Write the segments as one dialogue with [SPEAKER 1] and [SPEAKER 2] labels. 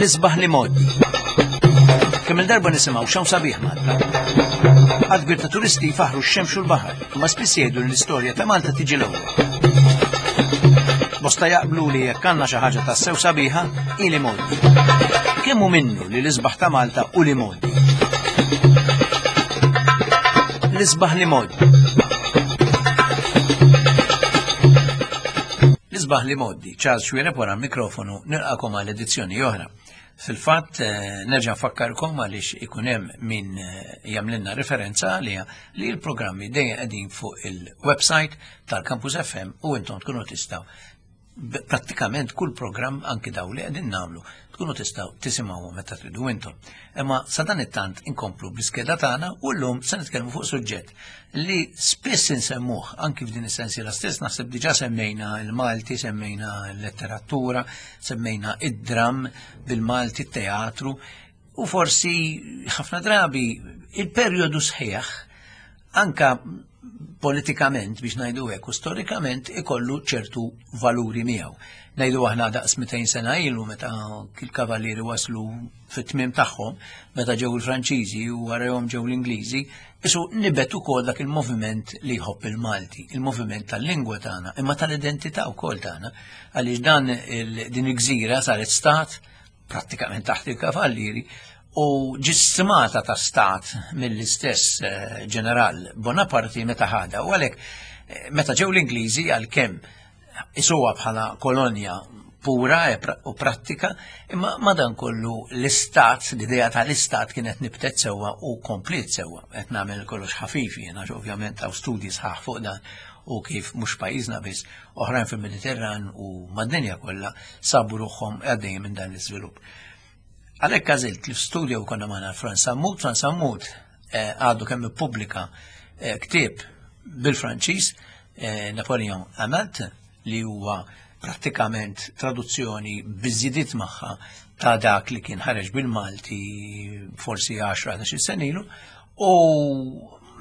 [SPEAKER 1] L-isbaħ li mod. Kemm il-darba nisimgħu x'hawn sabiħ Malta. Għad kbir ta' turisti jfaħru x-xemx u l-baħar, imma spiss jgħidu li l-istorja ta' Malta tiġi l-ewwel. Bosta jaqblu li jekk għandna xi ħaġa tassew sabiħa, hi li modi. Kemm hu minnu li l-isbaħ ta' Malta u li modi? L-isbaħ li modi. L-isbaħ li modi, Charles Xuereb wara l-mikrofonu, nilqakom għal edizzjoni oħra. Fil-fatt, eh, nerġa' nfakkarkom għaliex ikun hemm min eh, jagħmlilna referenza għaliha li l-programmi dejjem qegħdin fuq il-website tal-Campus FM u intom tkunu tistgħu prattikament kull programm anki daw li qegħdin nagħmlu tkunu tistgħu tisimgħu meta tridu intom. Imma sa dan it-tant inkomplu bl-iskeda tagħna u llum se nitkellmu fuq suġġett li spiss insemmuh anki f'din is-sensiela stess naħseb diġà semmejna l-Malti, semmejna l-letteratura, semmejna id-dram bil-Malti, t-teatru u forsi ħafna drabi il-perjodu sħiħ anka politikament biex ngħidu hekk u storikament ikollu ċertu valuri miegħu. Ngħidu aħna daqs 200 sena ilu meta il-kavallieri waslu fit-tmiem tagħhom, meta ġew il-Franċiżi u warahom ġew l-Ingliżi, isu nibet ukoll dak il-moviment li jħobb il-Malti, il-moviment tal-lingwa tagħna, imma tal-identità wkoll tagħna, għaliex dan din il-gżira saret stat prattikament taħt il-kavallieri u ġistimata ta' stat mill-istess eh, ġeneral Bonaparte meta ħada u għalhekk eh, meta ġew l-Ingliżi għalkemm isuha bħala kolonja pura e u prattika, imma madankollu l-istat, l-idea tal-istat kienet nibtet sewwa u komplet sewwa. Qed nagħmel kollox ħafif jiena ovvjament hawn studji sħaħ fuq dan u kif mhux pajjiżna biss oħrajn fil-Mediterran u mad-dinja kollha sabu ruħhom għaddejjin minn dan l-iżvilupp. Għalhekk għażilt li f'studio konna magħna Frans Sammut, Frans Sammut eh, għadu kemm ippubblika eh, ktieb bil-Franċiż eh, Napoleon Amalt li huwa prattikament traduzzjoni biżidiet magħha ta' dak li kien ħareġ bil-Malti forsi 10-11 senilu u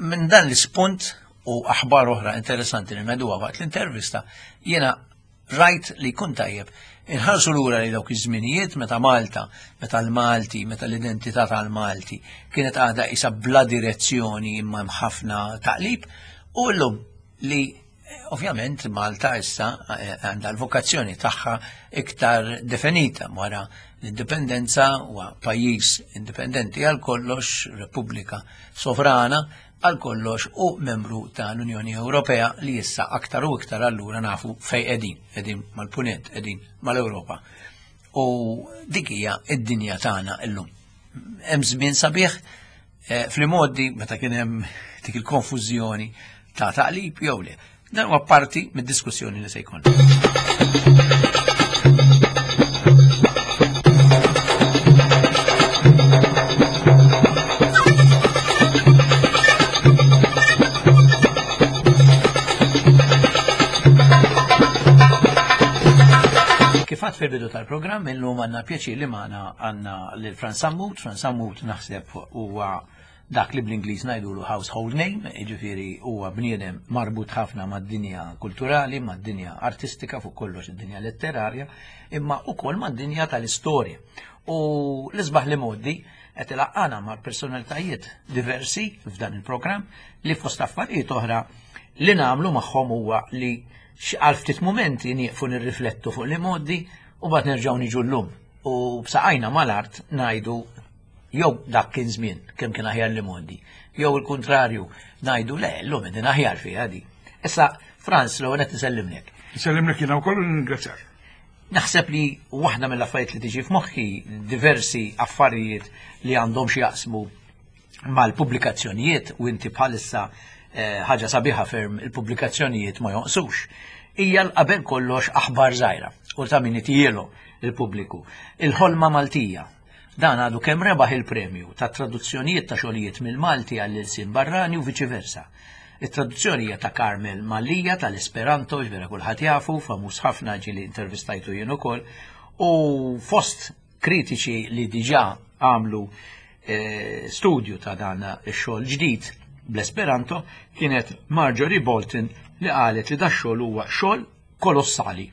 [SPEAKER 1] minn dan l-ispunt u aħbar oħra interessanti li ngħiduha waqt l-intervista jiena rajt li jkun tajjeb inħarsu lura li dawk iż-żminijiet meta Malta, meta l-Malti, meta l-identità tal-Malti kienet għadha isa bla direzzjoni imma hemm ħafna taqlib u llum li eh, ovvjament Malta issa eh, għandha l-vokazzjoni tagħha iktar definita wara l-indipendenza huwa pajjiż indipendenti għal kollox, Repubblika sovrana għal kollox u membru tal-Unjoni Ewropea li issa aktar u iktar allura nafu fej qegħdin, qegħdin mal-punent, qegħdin mal-Ewropa. U dik hija id-dinja tagħna llum. Hemm żmien sabiħ eh, fl-modi meta kien hemm dik il-konfużjoni ta' taqlib jew le. Dan huwa parti mid-diskussjoni li se jkun. Kifat fil-bidu tal-programm illum għandna pjaċir li magħna għandna lil Frans Sammut. Frans Sammut naħseb huwa dak li bl-Ingliż ngħidulu household name, jiġifieri huwa bniedem marbut ħafna mad-dinja kulturali, mad-dinja artistika, fuq kollox id-dinja letterarja, imma wkoll mad-dinja tal-istorja. U l-isbaħ li modi qed ilaqqana ma' personalitajiet diversi f'dan il-programm li fost affarijiet oħra li nagħmlu magħhom huwa li għal ftit mumenti nieqfu nirriflettu fuq li modi u bad nerġgħu niġu llum u b'saqajna mal-art ngħidu Jew dak kien żmien kemm kien aħjar li mondi, jew il-kuntrarju ngħidu le llum qegħdin aħjar fiha di. Issa Franz l-ewwel qed nsellimlek.
[SPEAKER 2] Nsellimlek jiena wkoll u ningrazzjak.
[SPEAKER 1] Naħseb li waħda mill-affarijiet li tiġi f'moħħi diversi affarijiet li għandhom xi jaqsmu mal-pubblikazzjonijiet u inti bħalissa eh, ħaġa sabiħa ferm il-pubblikazzjonijiet ma jonqsux. Hija l-qabel kollox aħbar żgħira u ta' min itielu il-pubbliku. Il-ħolma Maltija Dan għadu kemm rebaħ il-premju ta' traduzzjonijiet ta' xogħlijiet mill-Malti għall-ilsien barrani u viċi versa. It-traduzzjoni hija ta' Carmel Mallia tal-Esperanto, ġvera kulħadd jafu, famuż ħafna ġieli intervistajtu jien ukoll, u fost kritiċi li diġà għamlu eh, studju ta' dan ix-xogħol ġdid bl-Esperanto kienet Marjorie Bolton li qalet li da xogħol huwa xogħol kolossali.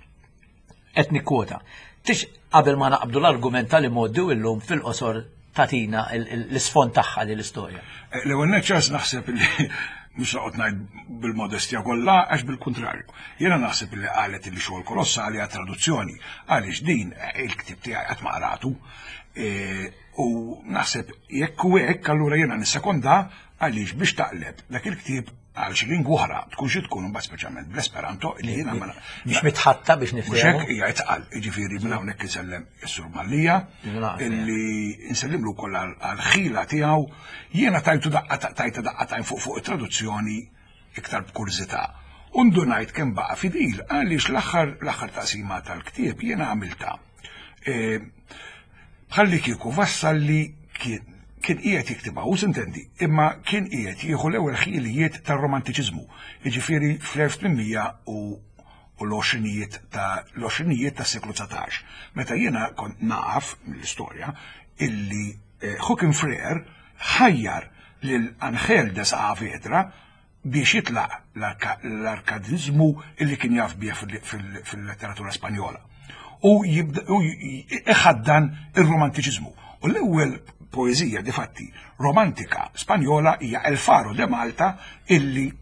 [SPEAKER 1] Qed nikkwota. Tix qabel ma naqbdu l-argument tal-imgħoddi u llum fil-qosor tagħtina l-isfond tagħha din l-istorja.
[SPEAKER 2] Eh, l-ewwel neċċas naħseb li mhux noqgħod ngħid bil-modestja kollha għax bil-kuntrarju. Jiena naħseb li qalet li xogħol kolossali għat traduzzjoni għaliex din eh, il-ktieb tiegħi qatt ma qratu. Eh, u naħseb jekk u hekk allura jiena nissekonda għaliex biex taqleb dak il-ktieb għal xi lingwa oħra tkun xi tkun imbagħad speċjalment bl-Esperanto li jiena ma
[SPEAKER 1] Biex mitħatta biex
[SPEAKER 2] niftehmu. Mhux hekk hija itqal, jiġifieri minn hawnhekk insellem is-Sur Mallija illi nsellimlu wkoll għall-ħila tiegħu. Jiena tajtu daqqa tajta daqqa tajn fuq fuq it-traduzzjoni iktar b'kurżità. U ndunajt kemm baqa' fidil għaliex l-aħħar l-aħħar taqsima tal-ktieb jiena għamilta. E, bħalli kieku Vassalli kien kien qiegħed jiktibha u sintendi, imma kien qiegħed jieħu l-ewwel ħilijiet tar-romantiċiżmu, jiġifieri fl-1800 u l-għoxrinijiet ta' l-għoxrinijiet tas-seklu 19. Meta jiena kont naf mill-istorja illi eh, Joaquin Freire ħajjar lil Angel de Saavedra biex jitlaq l-arkadiżmu illi kien jaf bih fil-letteratura Spanjola. U iħaddan ir-romantiċiżmu. U l-ewwel poeżija difatti romantika Spanjola hija El Faro de Malta illi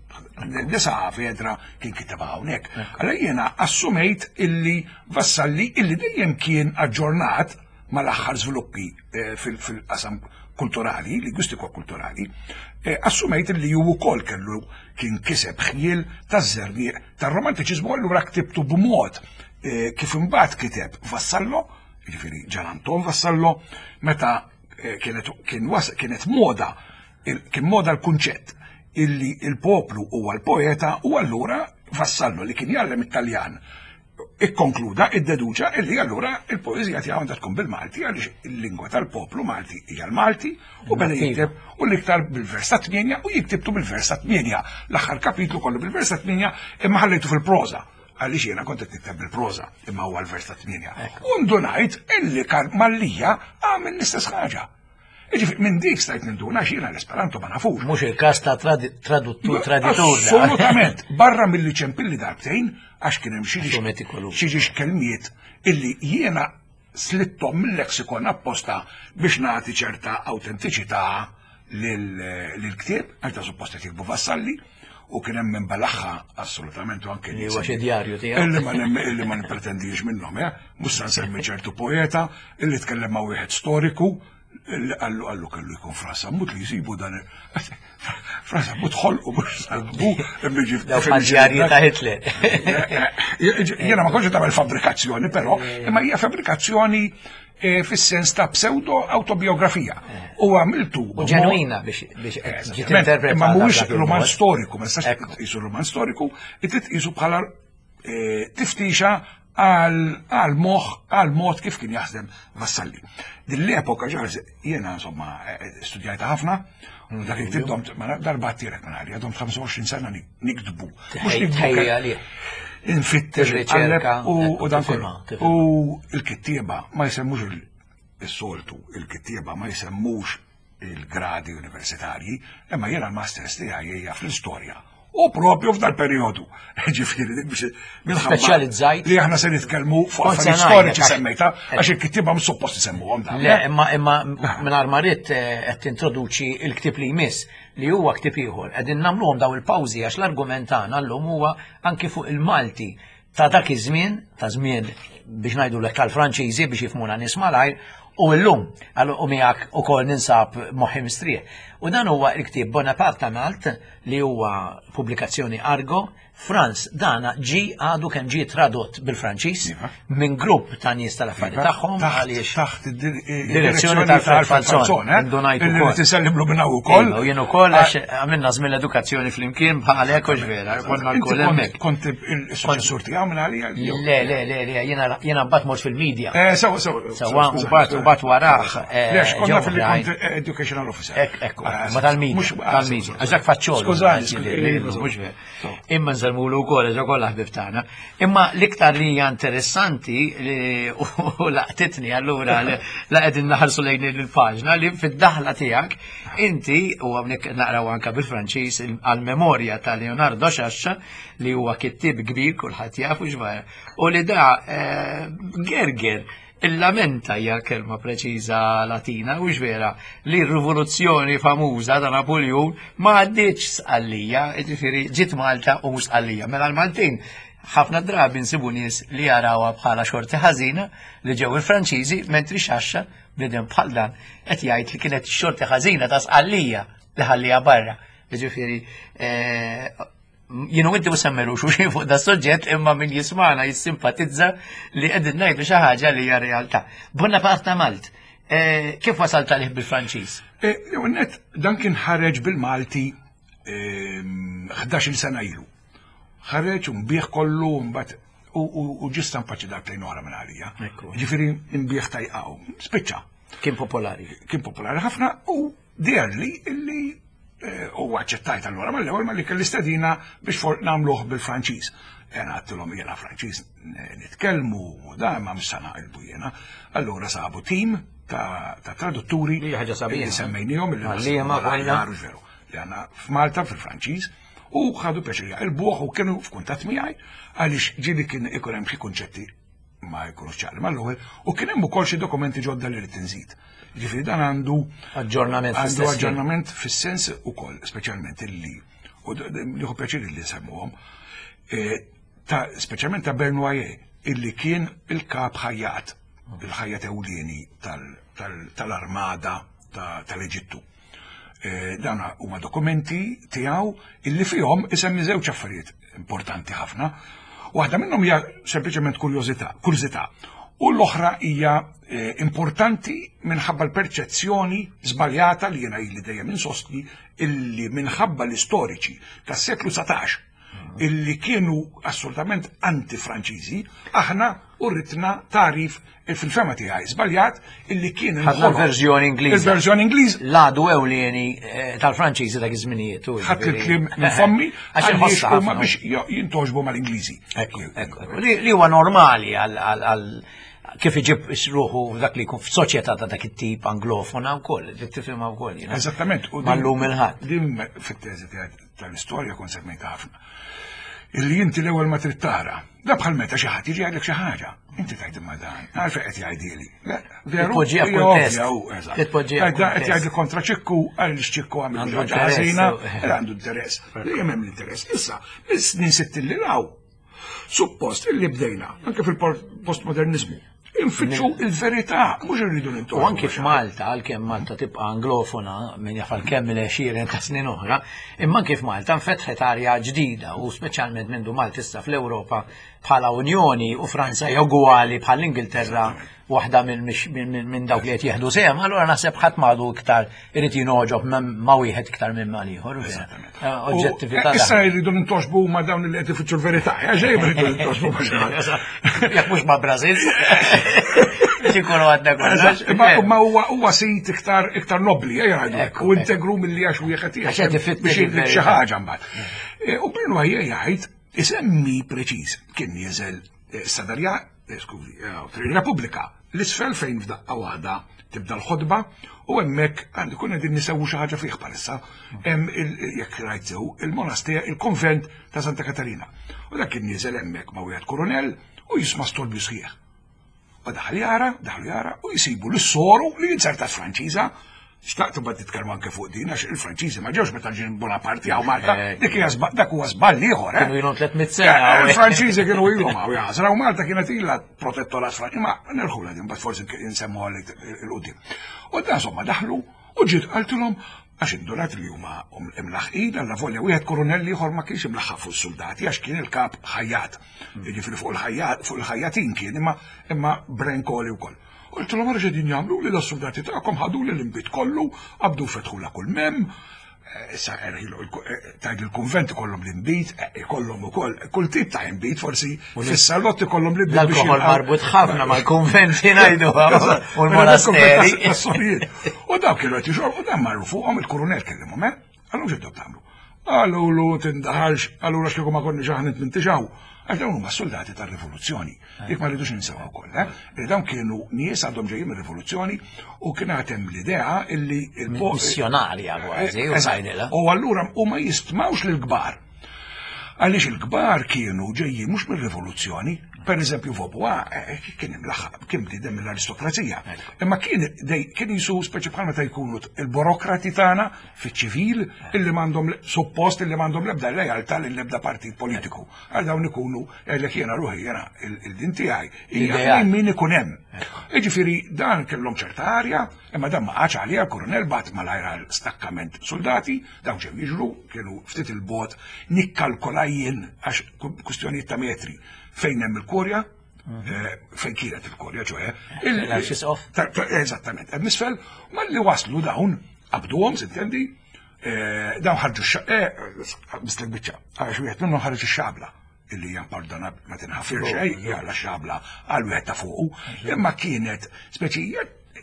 [SPEAKER 2] de Saavedra kien kitebha hawnhekk. Allora jiena assumejt illi Vassalli illi dejjem kien aġġornat mal-aħħar żviluppi eh, fil-qasam kulturali, lingwistiku kulturali, eh, assumejt li ju wkoll kellu kien kiseb ħjiel taż-żerniq tar-romantiċiżmu allura ktibtu b'mod eh, kif imbagħad kiteb Vassallo, jiġifieri Ġan Anton Vassallo, meta kienet kien kienet moda kien moda l-kunċett illi il-poplu huwa l-poeta u allura Vassallo li kien jgħallem it-Taljan ikkonkluda, iddeduċa illi allura il-poeżija tiegħu għandha tkun bil-Malti għaliex il-lingwa tal-poplu Malti hija l-Malti u beda jikteb u l-iktar bil-vers ta' tmienja u jiktibtu bil-vers ta' tmienja. L-aħħar kapitlu kollu bil-vers ta' tmienja imma ħallejtu fil-proża għaliex jiena kont qed nikteb bil-proża imma huwa l-vers ta' tmienja. U ndunajt illi Mallia għamel l-istess ħaġa. Jiġifieri minn dik stajt ninduna għax jiena l-Esperanto ma nafux.
[SPEAKER 1] Mhux il-każ ta' traduttur traditur.
[SPEAKER 2] Assolutament, barra milli ċempilli darbtejn għax kien hemm xi ġiex kelmiet illi jiena slittom mill-lexikon apposta biex nagħti ċerta awtentiċità lill-ktieb, għax da suppost qed jiktbu Vassalli u kien hemm min balaħħa assolutament u anke
[SPEAKER 1] li huwa xi djarju tiegħu.
[SPEAKER 2] Illi ma illi ma nippretendix minnhom, eh? Mhux se nsemmi ċertu poeta illi tkellem ma' wieħed storiku illi qallu qallu kellu jkun Fra Sammut li jsibu dan Fra Sammut ħolqu mhux sabu
[SPEAKER 1] imma Dawk djarji ta' Hitler.
[SPEAKER 2] Jiena ma kontx tagħmel fabbrikazzjoni però, imma hija fabbrikazzjoni Eh, fis-sens ta' pseudo autobiografija. Eh. U għamiltu.
[SPEAKER 1] U ġenwina biex eh, ġiet interpretata.
[SPEAKER 2] Ma mhuwiex roman storiku, ma nistax tqisu roman storiku, trid tqisu bħala tiftixa għal moħ, għal mod kif kien jaħdem Vassalli. Din l-epoka ġarż jiena insomma studjajta ħafna, u dak il-ktib domt darba għattirek minn għalija, domt 25 sena niktbu.
[SPEAKER 1] Mhux niktbu.
[SPEAKER 2] Infittex u dan kollu. U l-kittieba ma jsemmux is-soltu, il-kittieba ma jsemmux il-gradi universitarji, imma jiena l-masters tiegħi hija fl-istorja. U propju f'dal periodu. Ġifieri dik biex
[SPEAKER 1] minħabba Speċjalizzajt.
[SPEAKER 2] Li aħna se nitkellmu fuq affarijiet storiċi semmejta, għax il-kittieba mhux suppost isemmuhom
[SPEAKER 1] dan. Le, imma imma mingħajr ma ridt eh, qed tintroduċi l-ktieb li jmiss li huwa ktieb ieħor. Qegħdin nagħmluhom daw il-pawżi għax l-argument tagħna llum huwa anki fuq il-Malti ta' dak iż-żmien, ta' żmien biex ngħidu lek tal-Franċiżi biex jifhmuna nies malajr, u llum u miegħek ukoll ninsab moħħi mistrieħ. U dan huwa l-ktieb Bonaparte Malt li huwa pubblikazzjoni Argo Franz, dana ġi għadu kemm ġie tradott bil-Franċiż iva. minn grupp ta' nies tal-affari iva. tagħhom
[SPEAKER 2] għaliex taħt id-direzzjoni tal Falzon,
[SPEAKER 1] eh? Indunajt
[SPEAKER 2] ukoll. Tisellimlu minn hawn ukoll.
[SPEAKER 1] Iva, u jien ukoll għax għamilna żmien l-edukazzjoni flimkien bħalek u vera, konna lkoll hemmhekk.
[SPEAKER 2] Kont il-suċessur tiegħu minn għalija.
[SPEAKER 1] Le, le, le, le, jiena mbagħad mort fil-medja.
[SPEAKER 2] Eh, sewa, sewa.
[SPEAKER 1] Sewa, mbagħad. mbagħad warah.
[SPEAKER 2] Lex, konna fil kont educational officer.
[SPEAKER 1] Ekku, ma tal-media, tal-media. Għax faċċol.
[SPEAKER 2] Skużani,
[SPEAKER 1] mhux Imma nżelmulu wkoll għax kollha ħbib tagħna. Imma l-iktar li hija interessanti u laqtitni allura la qegħdin naħarsu lejn il-paġna li fid-daħla tiegħek inti u hawnhekk naqraw anke bil-Franċiż għal-memorja ta' Leonardo Xaxxa li huwa kittib kbir kulħadd jafu x'vara u li da eh, gerger Il-lamenta hija kelma preċiża Latina, u vera, li r-rivoluzzjoni famuża ta' Napoljun ma għaddietx Sqallija, jiġifieri ġiet Malta u mhux Sqallija. Mela l-Maltin ħafna drabi nsibu nies li jarawha bħala xorti ħażina li ġew il-Franċiżi, mentri Xaxxa bniedem bħal dan qed jgħid li kienet xorti ħażina ta' Sqallija li ħallija barra. Jiġifieri eh, Jien u inti mhux semmeru xulxin fuq da suġġett imma min jismana jissimpatizza li qegħdin ngħidu xi ħaġa li hija realtà. Bonaparte Malt, eh, kif wasalt għalih bil-Franċiż?
[SPEAKER 2] Eh, net, dan kien ħareġ bil-Malti 11 ehm, sena ilu. Ħareġ u nbieħ kollu mbagħad u ġista mpaċi darbtejn oħra minn għalija. Ġifieri nbieħ tajqaw. Spiċċa.
[SPEAKER 1] Kien popolari.
[SPEAKER 2] Kien popolari ħafna u Deherli illi eh, u aċċettajt allura mal-ewwel ma li kelli stedina biex for nagħmluh bil-Franċiż. Jena għattilhom jiena Franċiż nitkellmu u da ma mhux sa naqilbu jiena. Allura sabu tim ta' tradutturi
[SPEAKER 1] li ħaġa sabiħa
[SPEAKER 2] li semmejnihom
[SPEAKER 1] li ma
[SPEAKER 2] veru li għandna f'Malta fil-Franċiż u ħadu pjaċir jaqilbuh u kienu f'kuntatt miegħi għaliex ġieli kien ikun hemm xi kunċetti ma jkunux ċari mal-ewwel u kien hemm ukoll xi dokumenti ġodda li rrid inżid. Ġifieri dan għandu
[SPEAKER 1] aġġornament
[SPEAKER 2] għandu aġġornament fis-sens ukoll speċjalment illi u nieħu pjaċir li nsemmuhom e, ta' speċjalment ta' Bernoyer illi kien il-kap ħajjat il-ħajjat ewlieni tal-armada tal-Eġittu. Eh, dan huma dokumenti tiegħu illi fihom isemmi żewġ affarijiet importanti ħafna. Waħda minnhom hija sempliċement kurjożità, kurżità. U l-oħra hija eh, importanti minħabba l-perċezzjoni żbaljata li jiena ili dejjem insostni illi minħabba l-istoriċi tas-seklu 19 illi kienu assolutament anti-Franċiżi, aħna urritna tarif fil-fema tiegħi żbaljat illi kien
[SPEAKER 1] Ħadna l-verżjoni Ingliża.
[SPEAKER 2] Il-verżjoni Ingliż.
[SPEAKER 1] L-għadu ewlieni eh, tal-Franċiżi dak iż-żminijiet.
[SPEAKER 2] Ħadd il-kliem minn fommi għax huma biex jintoġbu mal-Ingliżi.
[SPEAKER 1] Li huwa normali għal kif iġib ruħu dak li jkun f'soċjetà ta' dak it-tip anglofona wkoll, tifhimha wkoll.
[SPEAKER 2] Eżattament.
[SPEAKER 1] Mallum il-ħadd.
[SPEAKER 2] Din fit-teżi tiegħi tal-istorja kont semmejta ħafna. Illi inti l-ewwel ma trid tara. Da bħal meta xi ħadd jiġi għalek xi ħaġa. Inti tgħid imma dan, għalfejn qed jgħidili.
[SPEAKER 1] Veru, titpoġġiha
[SPEAKER 2] kuntest. Titpoġġiha qed jgħidli kontra ċikku għaliex ċikku għamil xi ħaġa ħażina, għandu interess. Li hemm l-interess. Issa, mis-snin sittin li law, Suppost illi bdejna, anke fil-postmodernizmu, infittxu il-verità, mhux irridu nintu.
[SPEAKER 1] U anke f'Malta, għalkemm Malta tibqa' anglofona min jaf għalkemm il-għexieren ta' snin oħra, imma anke f'Malta nfetħet arja ġdida u speċjalment mindu Malta issa fl-Ewropa bħala Unjoni u Franza hija ugwali bħall-Ingilterra waħda minn dawk li qed jieħdu sehem, allura naħseb ħadd m'għadu iktar irid jingħoġob ma' wieħed iktar minn mal ieħor. Eh, oġġettività.
[SPEAKER 2] Eh, issa jridu nintoxbu ma' dawn li qed ifittxu l-verità, għax eh, jridu nintoxbu ma' xi
[SPEAKER 1] Jekk mhux ma' Brażil. Biex ikunu għadna kollox.
[SPEAKER 2] Ma huwa sit iktar iktar nobli, jgħidu, u integru milli għax wieħed
[SPEAKER 1] biex
[SPEAKER 2] xi ħaġa mbagħad. U Bruno jgħid isemmi preċiż kien nieżel Sadarja Eh, skużi, eh, Repubblika, l-isfel fejn f'daqqa waħda tibda l-ħodba u hemmhekk għandu kun qegħdin nisewu xi ħaġa fih bħalissa hemm jekk rajt sew il-monaster il-konvent ta' Santa Katarina. U dak kien nieżel hemmhekk ma' wieħed kurunell u jisma' storbju sħiħ. U daħal jara, daħlu jara u jisibu l-soru li jinzertat Franċiża Xtaqt imbagħad nitkellmu anke fuq din għax il-Franċiżi ma ġewx meta ġien Bonaparte hawn Malta. Eh. Dik hija dak huwa żball ieħor.
[SPEAKER 1] Eh. Kienu ilhom 300 sena.
[SPEAKER 2] Eh, il-Franċiżi kienu ilhom hawn jaħsra u Malta kienet ilha protettorat Franċiż. Ma nerħula din mbagħad forsi nsemmu għalik il-qudiem. U dan insomma daħlu u ġiet qaltilhom għax indunat li huma imlaħqin għalla volja wieħed kurunell ieħor ma kienx imlaħħaq fuq is-soldati għax kien il-kap ħajjat. Jiġifieri fuq il-ħajjat fuq il-ħajjatin kien imma imma brenkoli wkoll. Qultilhom ara x'qegħdin jagħmlu li l-soldati tagħkom ħadu li l-inbid kollu, qabdu fetħula kull mem. Issa erħilu, tajt il-kunvent ikollhom l-inbid, ikollhom ukoll kull tip ta' inbid, forsi fis-salott ikollhom l-inbid.
[SPEAKER 1] L-alkohol marbut ħafna mal-kunventi ngħidu u l-monasteri.
[SPEAKER 2] U dawk kienu qed jixorbu dan marru fuqhom il-kurunell kellimhom, eh? Għallu x'intom tagħmlu? Għallu tindaħalx, allura x'kieku ma konniex aħna nintixaw. Għax dawn huma soldati tar-rivoluzzjoni. Dik ma rridux ninsewa wkoll, eh? Li dawn kienu nies għadhom ġejjin mir-rivoluzzjoni u kien hemm l-idea illi
[SPEAKER 1] il-missjonarja kważi u
[SPEAKER 2] tgħidilha. U allura huma jistmawx lill-kbar. Għaliex il-kbar kienu ġejjin mhux mir-rivoluzzjoni, per eżempju Vaubois eh, kien imlaħħaq kien bniedem mill-aristokrazija. Imma kien kien jisu speċi bħal meta jkunu il-burokrati tagħna fiċ-ċivil illi m'għandhom suppost illi m'għandhom l-ebda lealtà lill-ebda partit politiku. Għal dawn ikunu jgħidlek jiena ruħi jiena il-din tiegħi hija min ikun hemm. Jiġifieri dan kellhom ċerta arja, imma dan ma qagħadx għaliha l-kurunell bagħat malajr għal stakkament soldati, dawn ġew jiġru, kienu ftit il-bogħod nikkalkola jien għax kwistjonijiet ta' metri fejn hemm il-kurja, eh, fejn kienet il-kurja ċoħe. Eżattament, hemm isfel, malli waslu dawn, qabduhom, sintendi, eh, dawn ħarġu eh, mislek biċċa, għax wieħed minnhom ħareġ ix-xabla illi hija pardona ma tinħafir xejn, jalla xabla għal wieħed ta' fuqu, imma kienet speċi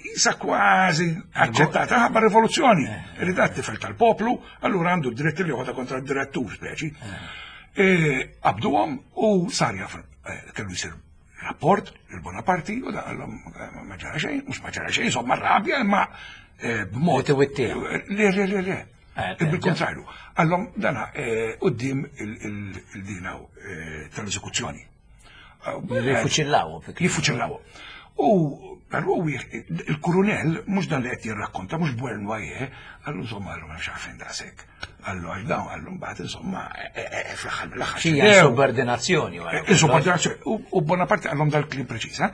[SPEAKER 2] jisa kważi aċċettata ħabba rivoluzzjoni. Eh. Li dat tifel tal-poplu, allura għandu dritt li joħodha kontra d-direttur speċi. Qabduhom u sar jaf kellu jsir rapport lil Bonaparti u da għallhom eh, ma ġara xejn, mhux ma ġara xejn, insomma rabja imma eh, b'mod. Le, le, le, le. Eh, Bil-kontrarju, għallhom dana qudiem il-dina tal-eżekuzzjoni.
[SPEAKER 1] Jifuċillaw.
[SPEAKER 2] Jifuċillaw. U però il-kurunell mhux dan li qed jirrakkonta, mhux Buernoye, għallu insomma għallu ma nafx għalfejn daqshekk. Għallu għax dawn għallu mbagħad insomma e, e, e, fl-aħħar mill-aħħar.
[SPEAKER 1] Xi insubordinazzjoni.
[SPEAKER 2] Insubordinazzjoni. U Bonaparte għallhom dal-kliem preċiż, eh?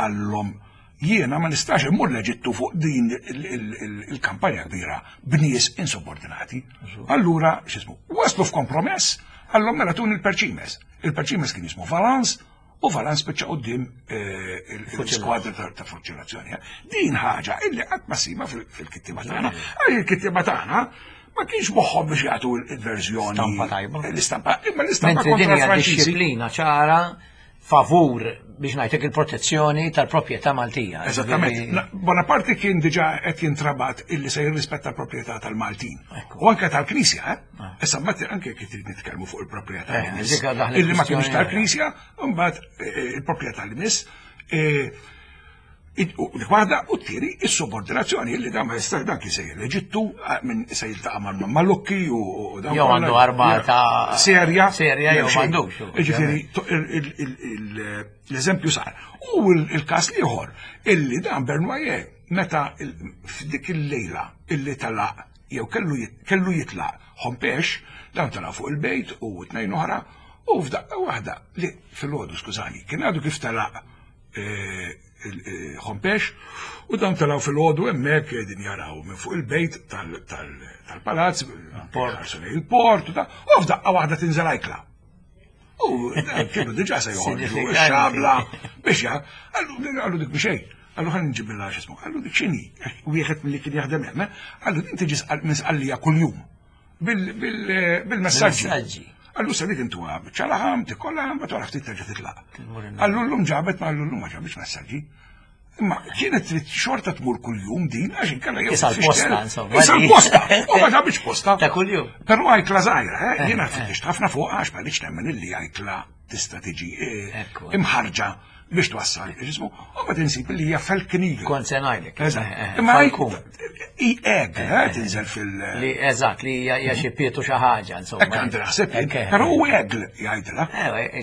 [SPEAKER 2] għallhom jiena ma nistax immur l-Eġittu fuq din il-kampanja kbira b'nies insubordinati. Allura, x'ismu, waslu f'kompromess, għallhom mela tuni l-perċimes. Il-perċimes kien jismu Valence, u Valence spiċċa quddiem eh, l-skwadra ta' fuċilazzjoni. Eh. Din ħaġa illi qatt ma sima fil-kittiba tagħna. Għal il-kittiba tagħna ma kienx moħħhom biex jagħtu il-verżjoni.
[SPEAKER 1] Stampa tajba.
[SPEAKER 2] L-istampa, imma l-istampa
[SPEAKER 1] kontra din hija disċiplina ċara favur biex ngħidlek il-protezzjoni tal-proprjetà Maltija.
[SPEAKER 2] Eżattament. Bonaparte kien diġà qed jintrabat illi se jirrispetta l-proprjetà tal-Maltin. U anke tal-Knisja, eh? Ah. Issa mbagħad anke kif trid nitkellmu fuq il-proprjetà eh, illi ma kienx tal-Knisja, mbagħad eh, il-proprjetà li miss Dik waħda u t-tieni is-subordinazzjoni li dan ma jistax dan kien sejjer l-Eġittu minn se jiltaqa' mal-Malukki u
[SPEAKER 1] dan. Jew għandu armata
[SPEAKER 2] serja.
[SPEAKER 1] Serja jew m'għandux.
[SPEAKER 2] Jiġifieri l-eżempju sar. U l-każ ieħor illi dan Bernwaje meta f'dik il-lejla illi telaq jew kellu jitlaq Hompex, dan telaq fuq il-bejt u tnejn oħra u f'daqqa waħda li fil-għodu skużani, kien għadu kif telaq Hompex u dawn telgħu fil-għodu hemmhekk qegħdin jaraw minn fuq il-bejt tal-palazz, ħarsu lejn il-port u f'daqqa waħda tinżel ajkla. U kienu diġà se joħorġu xabla biex ja, għallu dik biex għallu ħan nġibilha x'ismu, għallu dik x'inhi, wieħed milli kien jaħdem hemm, għallu din tiġi minn sqallija kuljum bil-messaġġi. Għallu se dik intuha biċċa laħam, tikkolla, ma wara ftit terġa' titlaq. Għallu llum ġabet ma għallu llum ma ġabitx messaġġi. Imma kienet trid xorta tmur kuljum din għax inkella
[SPEAKER 1] jew. Issa l-posta insomma.
[SPEAKER 2] Issa l-posta, u ma ġabitx posta.
[SPEAKER 1] Ta' kuljum.
[SPEAKER 2] Però għajtla żgħira, eh, jiena fittixt ħafna fuq għax ma rridx nemmen illi għajtla tista' tiġi eh, imħarġa biex twassal ġismu, u ma tinsib li hija falcon eagle.
[SPEAKER 1] Kont se ngħidlek.
[SPEAKER 2] Eh, eh, Imma i egg, eh, tinżel fil.
[SPEAKER 1] Li eżatt, li hija xi pietu xi ħaġa, insomma.
[SPEAKER 2] Hekk għandi naħseb, però u egg jgħidilha.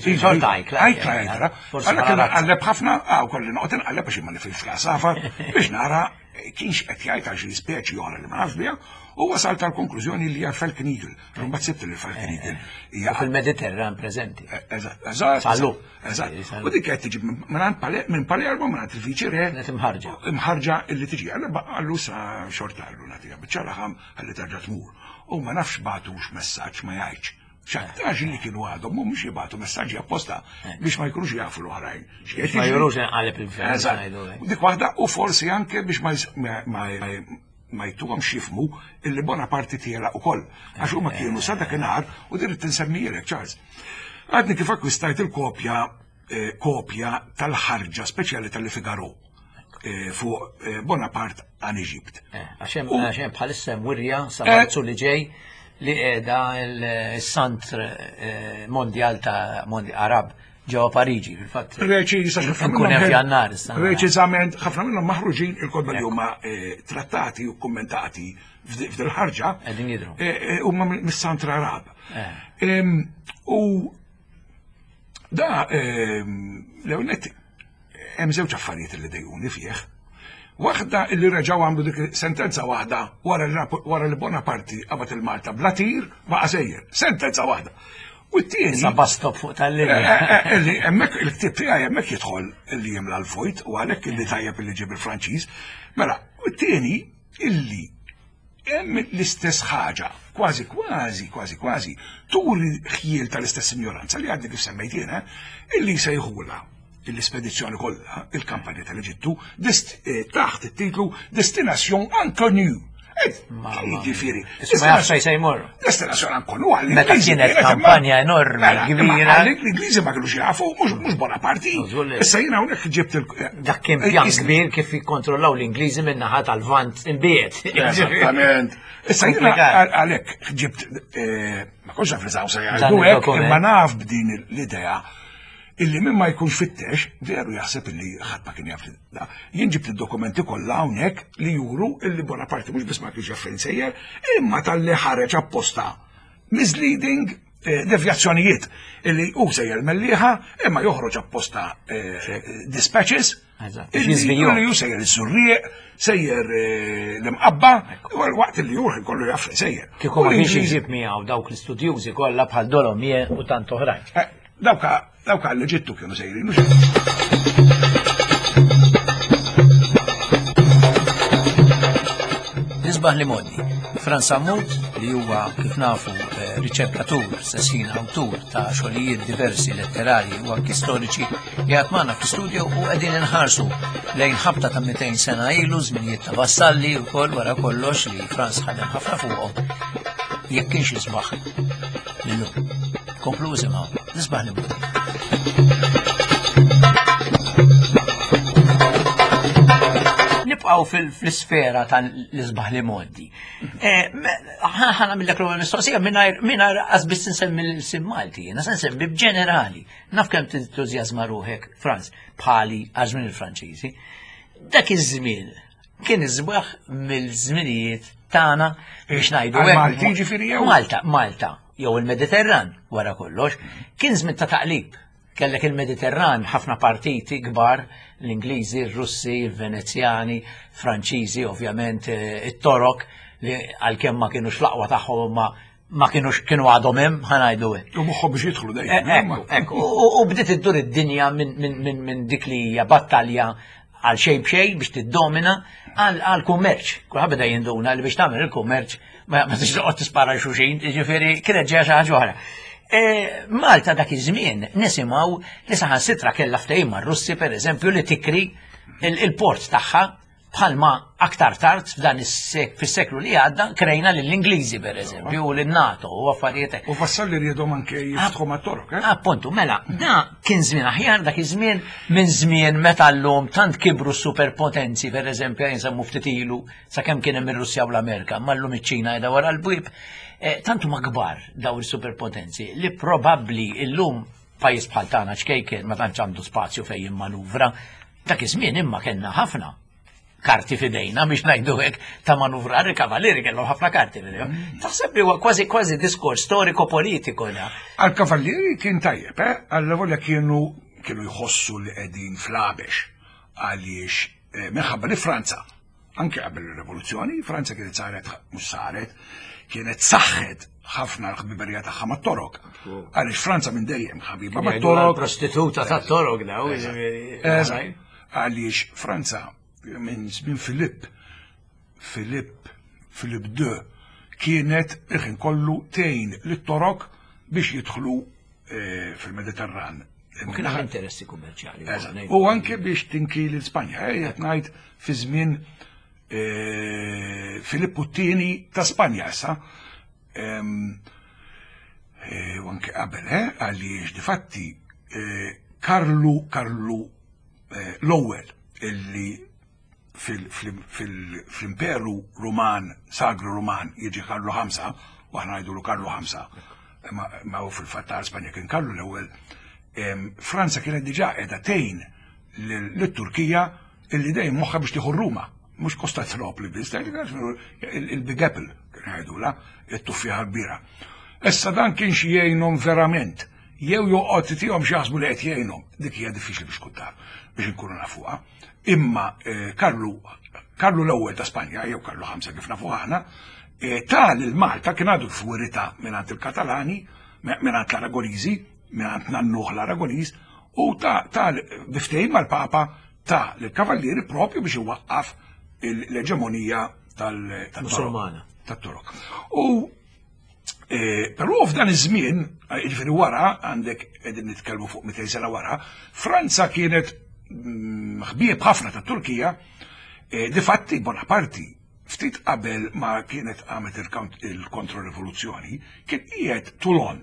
[SPEAKER 1] Xorta ajkla.
[SPEAKER 2] Ajkla jgħidilha. Għalla kien nqalleb ħafna, għaw kolli noqgħod inqalleb biex ma nifhimx l-għasafar biex nara kienx qed jgħid għal xi speċi oħra li ma nafx biha, u wasal tal-konklużjoni li hija Falcon Eagle. Mbagħad sibt li Falcon Eagle
[SPEAKER 1] hija fil-Mediterran preżenti.
[SPEAKER 2] Eh, eżatt, eżatt.
[SPEAKER 1] Sallu.
[SPEAKER 2] Eżatt. U dik qed tiġi minn Palermo minn il-viċi re.
[SPEAKER 1] Imħarġa.
[SPEAKER 2] Imħarġa illi tiġi. Għallu għallu sa xorta għallu nagħtiha biċċa laħam ħalli terġa' tmur. U ma nafx bagħtux messaġġ ma jgħidx. X'aktarx li kienu għadhom mhumiex jibgħatu messaġġi apposta biex ma jkunux jafu l-oħrajn.
[SPEAKER 1] Ma jurux inqaleb il-gvern.
[SPEAKER 2] Dik waħda u forsi anke biex ma ma jtuhomx jifhmu illi Bonaparte tiela ukoll. Għax huma kienu sa dakinhar u din tinsemmijilek Charles. Għadni kif akkwistajt il-kopja eh, kopja tal-ħarġa speċjali tal-Figaro eh, fuq eh, Bonaparte għan Eġipt.
[SPEAKER 1] Għax hemm bħalissa hemm wirja sa Marzu li ġej li qiegħda l-Sant Mondjal ta' Arab ġewwa Pariġi, fil-fatt.
[SPEAKER 2] Preċiża
[SPEAKER 1] ħafna minnhom hemm f'Jannar issa.
[SPEAKER 2] Preċiżament ħafna minnhom maħruġin il-kotba li huma eh, trattati u kummentati f'dil-ħarġa.
[SPEAKER 1] Qegħdin jidhru.
[SPEAKER 2] Eh, eh, huma mis-Santra Arab. U da l-ewwel Hemm żewġ affarijiet li dejquni fih. Waħda illi reġgħu għamlu dik sentenza waħda wara li Bonaparti qabad il-Malta bla tir baqa' sejjer. Sentenza waħda. U t-tieni.
[SPEAKER 1] Sa bastop fuq tal-linja.
[SPEAKER 2] Eh, eh, eh, illi hemmhekk il-ktieb tiegħi hemmhekk jidħol illi jimla l-vojt u għalhekk illi tajjeb illi ġib il-Franċiż. Mela, u t-tieni illi Hemm l-istess ħaġa, kważi kważi, kważi kważi, turi ħjiel tal-istess ignoranza li għadni kif semmejt jiena, illi jsejħulha l-ispedizzjoni kollha, il-kampanja tal-Eġittu, eh, taħt it-titlu Destination Inconnue. Ġifieri.
[SPEAKER 1] Ma jafx fejn se jmur.
[SPEAKER 2] Destinazzjoni inconnue għal
[SPEAKER 1] Meta kienet kampanja enormi,
[SPEAKER 2] mela,
[SPEAKER 1] kbira.
[SPEAKER 2] L-Ingliżi ma kienux jafu, mhux Bonaparte. Issa jiena hawnhekk ġibt il-
[SPEAKER 1] Dak kien pjan kbir kif jikkontrollaw l-Ingliżi minn naħa tal-Vant imbiet.
[SPEAKER 2] Eżattament. Issa jiena għalhekk ġibt eh, ma kontx naf li se jgħidu hekk, imma naf b'din l-idea illi min ma jkunx fittex veru jaħseb illi ħadd ma kien jaf da. Jien ġibt id-dokumenti kollha hawnhekk li juru illi Bonaparte mhux biss ma kienx jaf fejn sejjer, imma talli ħareġ apposta misleading eh, devjazzjonijiet illi hu sejjer mellieħa imma joħroġ apposta eh, dispatches Illi ju sejjer iż-żurrieq, sejjer eh, l-imqabba, waqt li juħ kollu jaf sejjer.
[SPEAKER 1] Kieku ma kienx iġib miegħu dawk l-istudjużi kollha bħal Dolomie u tant oħrajn.
[SPEAKER 2] Eh, dawka dawka l-Eġittu kienu sejrin.
[SPEAKER 1] Nisbaħ li modi. Franz Sammut, li huwa kif nafu eh, riċerkatur, sessin awtur ta' xogħlijiet diversi letterarji u anki storiċi, Qiegħed magħna fl-istudio u qegħdin inħarsu lejn ħabta ta' 200 sena ilu żminijiet ta' vassalli wkoll wara kollox li Franz ħadem ħafna fuqhom jekk kienx isbaħ illum. Komplu isimgħu, nisbaħ li Nibqgħu fl-isfera tal-isbaħ li moddi. Eh, ħana mill-ek mistoqsija mingħajr qasbis nsemmi l-sim Malti, jiena se nsemmi b'ġenerali. Naf kemm tintużjażma ruħek, Franz, bħali għal żmien il-Franċiżi. Dak iż-żmien kien isbaħ mill-żminijiet tagħna biex ngħidu
[SPEAKER 2] hekk. Malti ġifieri jew?
[SPEAKER 1] Malta, Malta, jew il-Mediterran wara kollox, kien żmien ta' taqlib. Kellek il-Mediterran ħafna partiti kbar, l-Ingliżi, ir-Russi, il-Venezjani, Franċiżi, ovvjament eh, it-Torok li għalkemm ma kienux l-aqwa tagħhom ma ma kienux kienu għadhom hemm ħanajdu
[SPEAKER 2] hekk. U moħħhom biex jidħlu dejjem.
[SPEAKER 1] Eh, ekku, ekku. U bdiet iddur id-dinja minn dik li hija battalja għal xejn b'xejn biex tiddomina għal kummerċ. Kulħadd beda jinduna li biex tagħmel il-kummerċ ma tix toqgħod tispara xuxin, jiġifieri kienet ġeja xi ħaġa oħra. E, Malta dak iż-żmien nisimgħu li saħansitra kellha ftehim mar-Russi pereżempju li tikri il-port tagħha Bħalma aktar tard f'dan fis-seklu li għadda krejna lill-Ingliżi pereżempju u lin-NATO u affarijiet hekk.
[SPEAKER 2] U vassalli rriedhom anke jiftħu mat-Torok, eh?
[SPEAKER 1] Appuntu, mela, da kien żmien aħjar dak iż-żmien minn żmien meta llum tant kibru s-superpotenzi pereżempju jinsemmu ftit ilu sakemm kien hemm ir-Russja u l-Amerika, ma llum iċ-Ċina qiegħda wara l-bwieb, eh, tant huma kbar daw il-superpotenzi li probabbli llum pajjiż bħal tagħna ċkejken ma tantx għandu spazju fejn jimmanuvra Dak iż-żmien imma kellna ħafna karti fidejna biex ngħidu hekk ta' manuvrar il-kavallieri kellhom ħafna karti fidejhom. Mm. Taħseb li huwa kważi kważi diskors storico politiko da.
[SPEAKER 2] Għal-kavallieri kien tajjeb, eh? Għal-volja kienu kienu jħossu li qegħdin flabex għaliex eh, minħabba li Franza Anke qabel ir-rivoluzzjoni, Franza kienet saret, mhux saret, kienet saħħet ħafna l-ħbiberija tagħha mat-Torok. Għaliex Franza minn dejjem ħabiba mat-Torok.
[SPEAKER 1] Prostituta tat-Torok daw.
[SPEAKER 2] Għaliex Franza minn żmien Filipp, Filipp, Filipp II, kienet il-ħin kollu tgħin lit-Torok biex jidħlu eh, fil-Mediterran.
[SPEAKER 1] U kien hemm interessi kummerċjali.
[SPEAKER 2] U anke biex tinki l-Spanja, eh, qed ngħid fi żmien Filippu t-tieni ta' Spanja issa. U anke qabel, għaliex difatti Karlu Karlu l-ewwel illi fl-Imperu Ruman, Sagru Ruman, jiġi Karlu 5, u aħna ngħidulu Karlu 5, ma hu fil-fatt ta' Spanja kien Karlu l-ewwel, Franza kienet diġà qiegħda tgħin lit-Turkija illi dejjem moħħha biex tieħu Ruma, mhux Kostantinopli biss, il-Big Apple kien jgħidula, it-tuffieħa kbira. Issa dan kien xi jgħinhom verament, jew joqgħod tihom xi jaħsbu li qed jgħinhom, dik hija diffiċli biex tkun taf, biex inkunu nafuha. Imma eh, Karlu Karlu l-ewwel ta' Spanja, jew Karlu ħamsa kif nafu aħna, eh, ta' lil Malta kien għadu f'wirita mingħand il-Katalani, mingħand l-Aragoniżi, mingħand nannuh l-Aragoniż, u ta' ta' biftejn mal-Papa ta' l-kavallieri propju biex iwaqqaf l-eġemonija tal-Musulmana. Tat-Torok. U Eh, però f'dan iż-żmien, eh, jiġifieri wara, għandek qegħdin nitkellmu fuq 200 sena wara, Franza kienet mm, ħbieb ħafna ta' Turkija, eh, difatti Bonaparti ftit qabel ma kienet għamet il-kontrorivoluzzjoni, kien qiegħed Toulon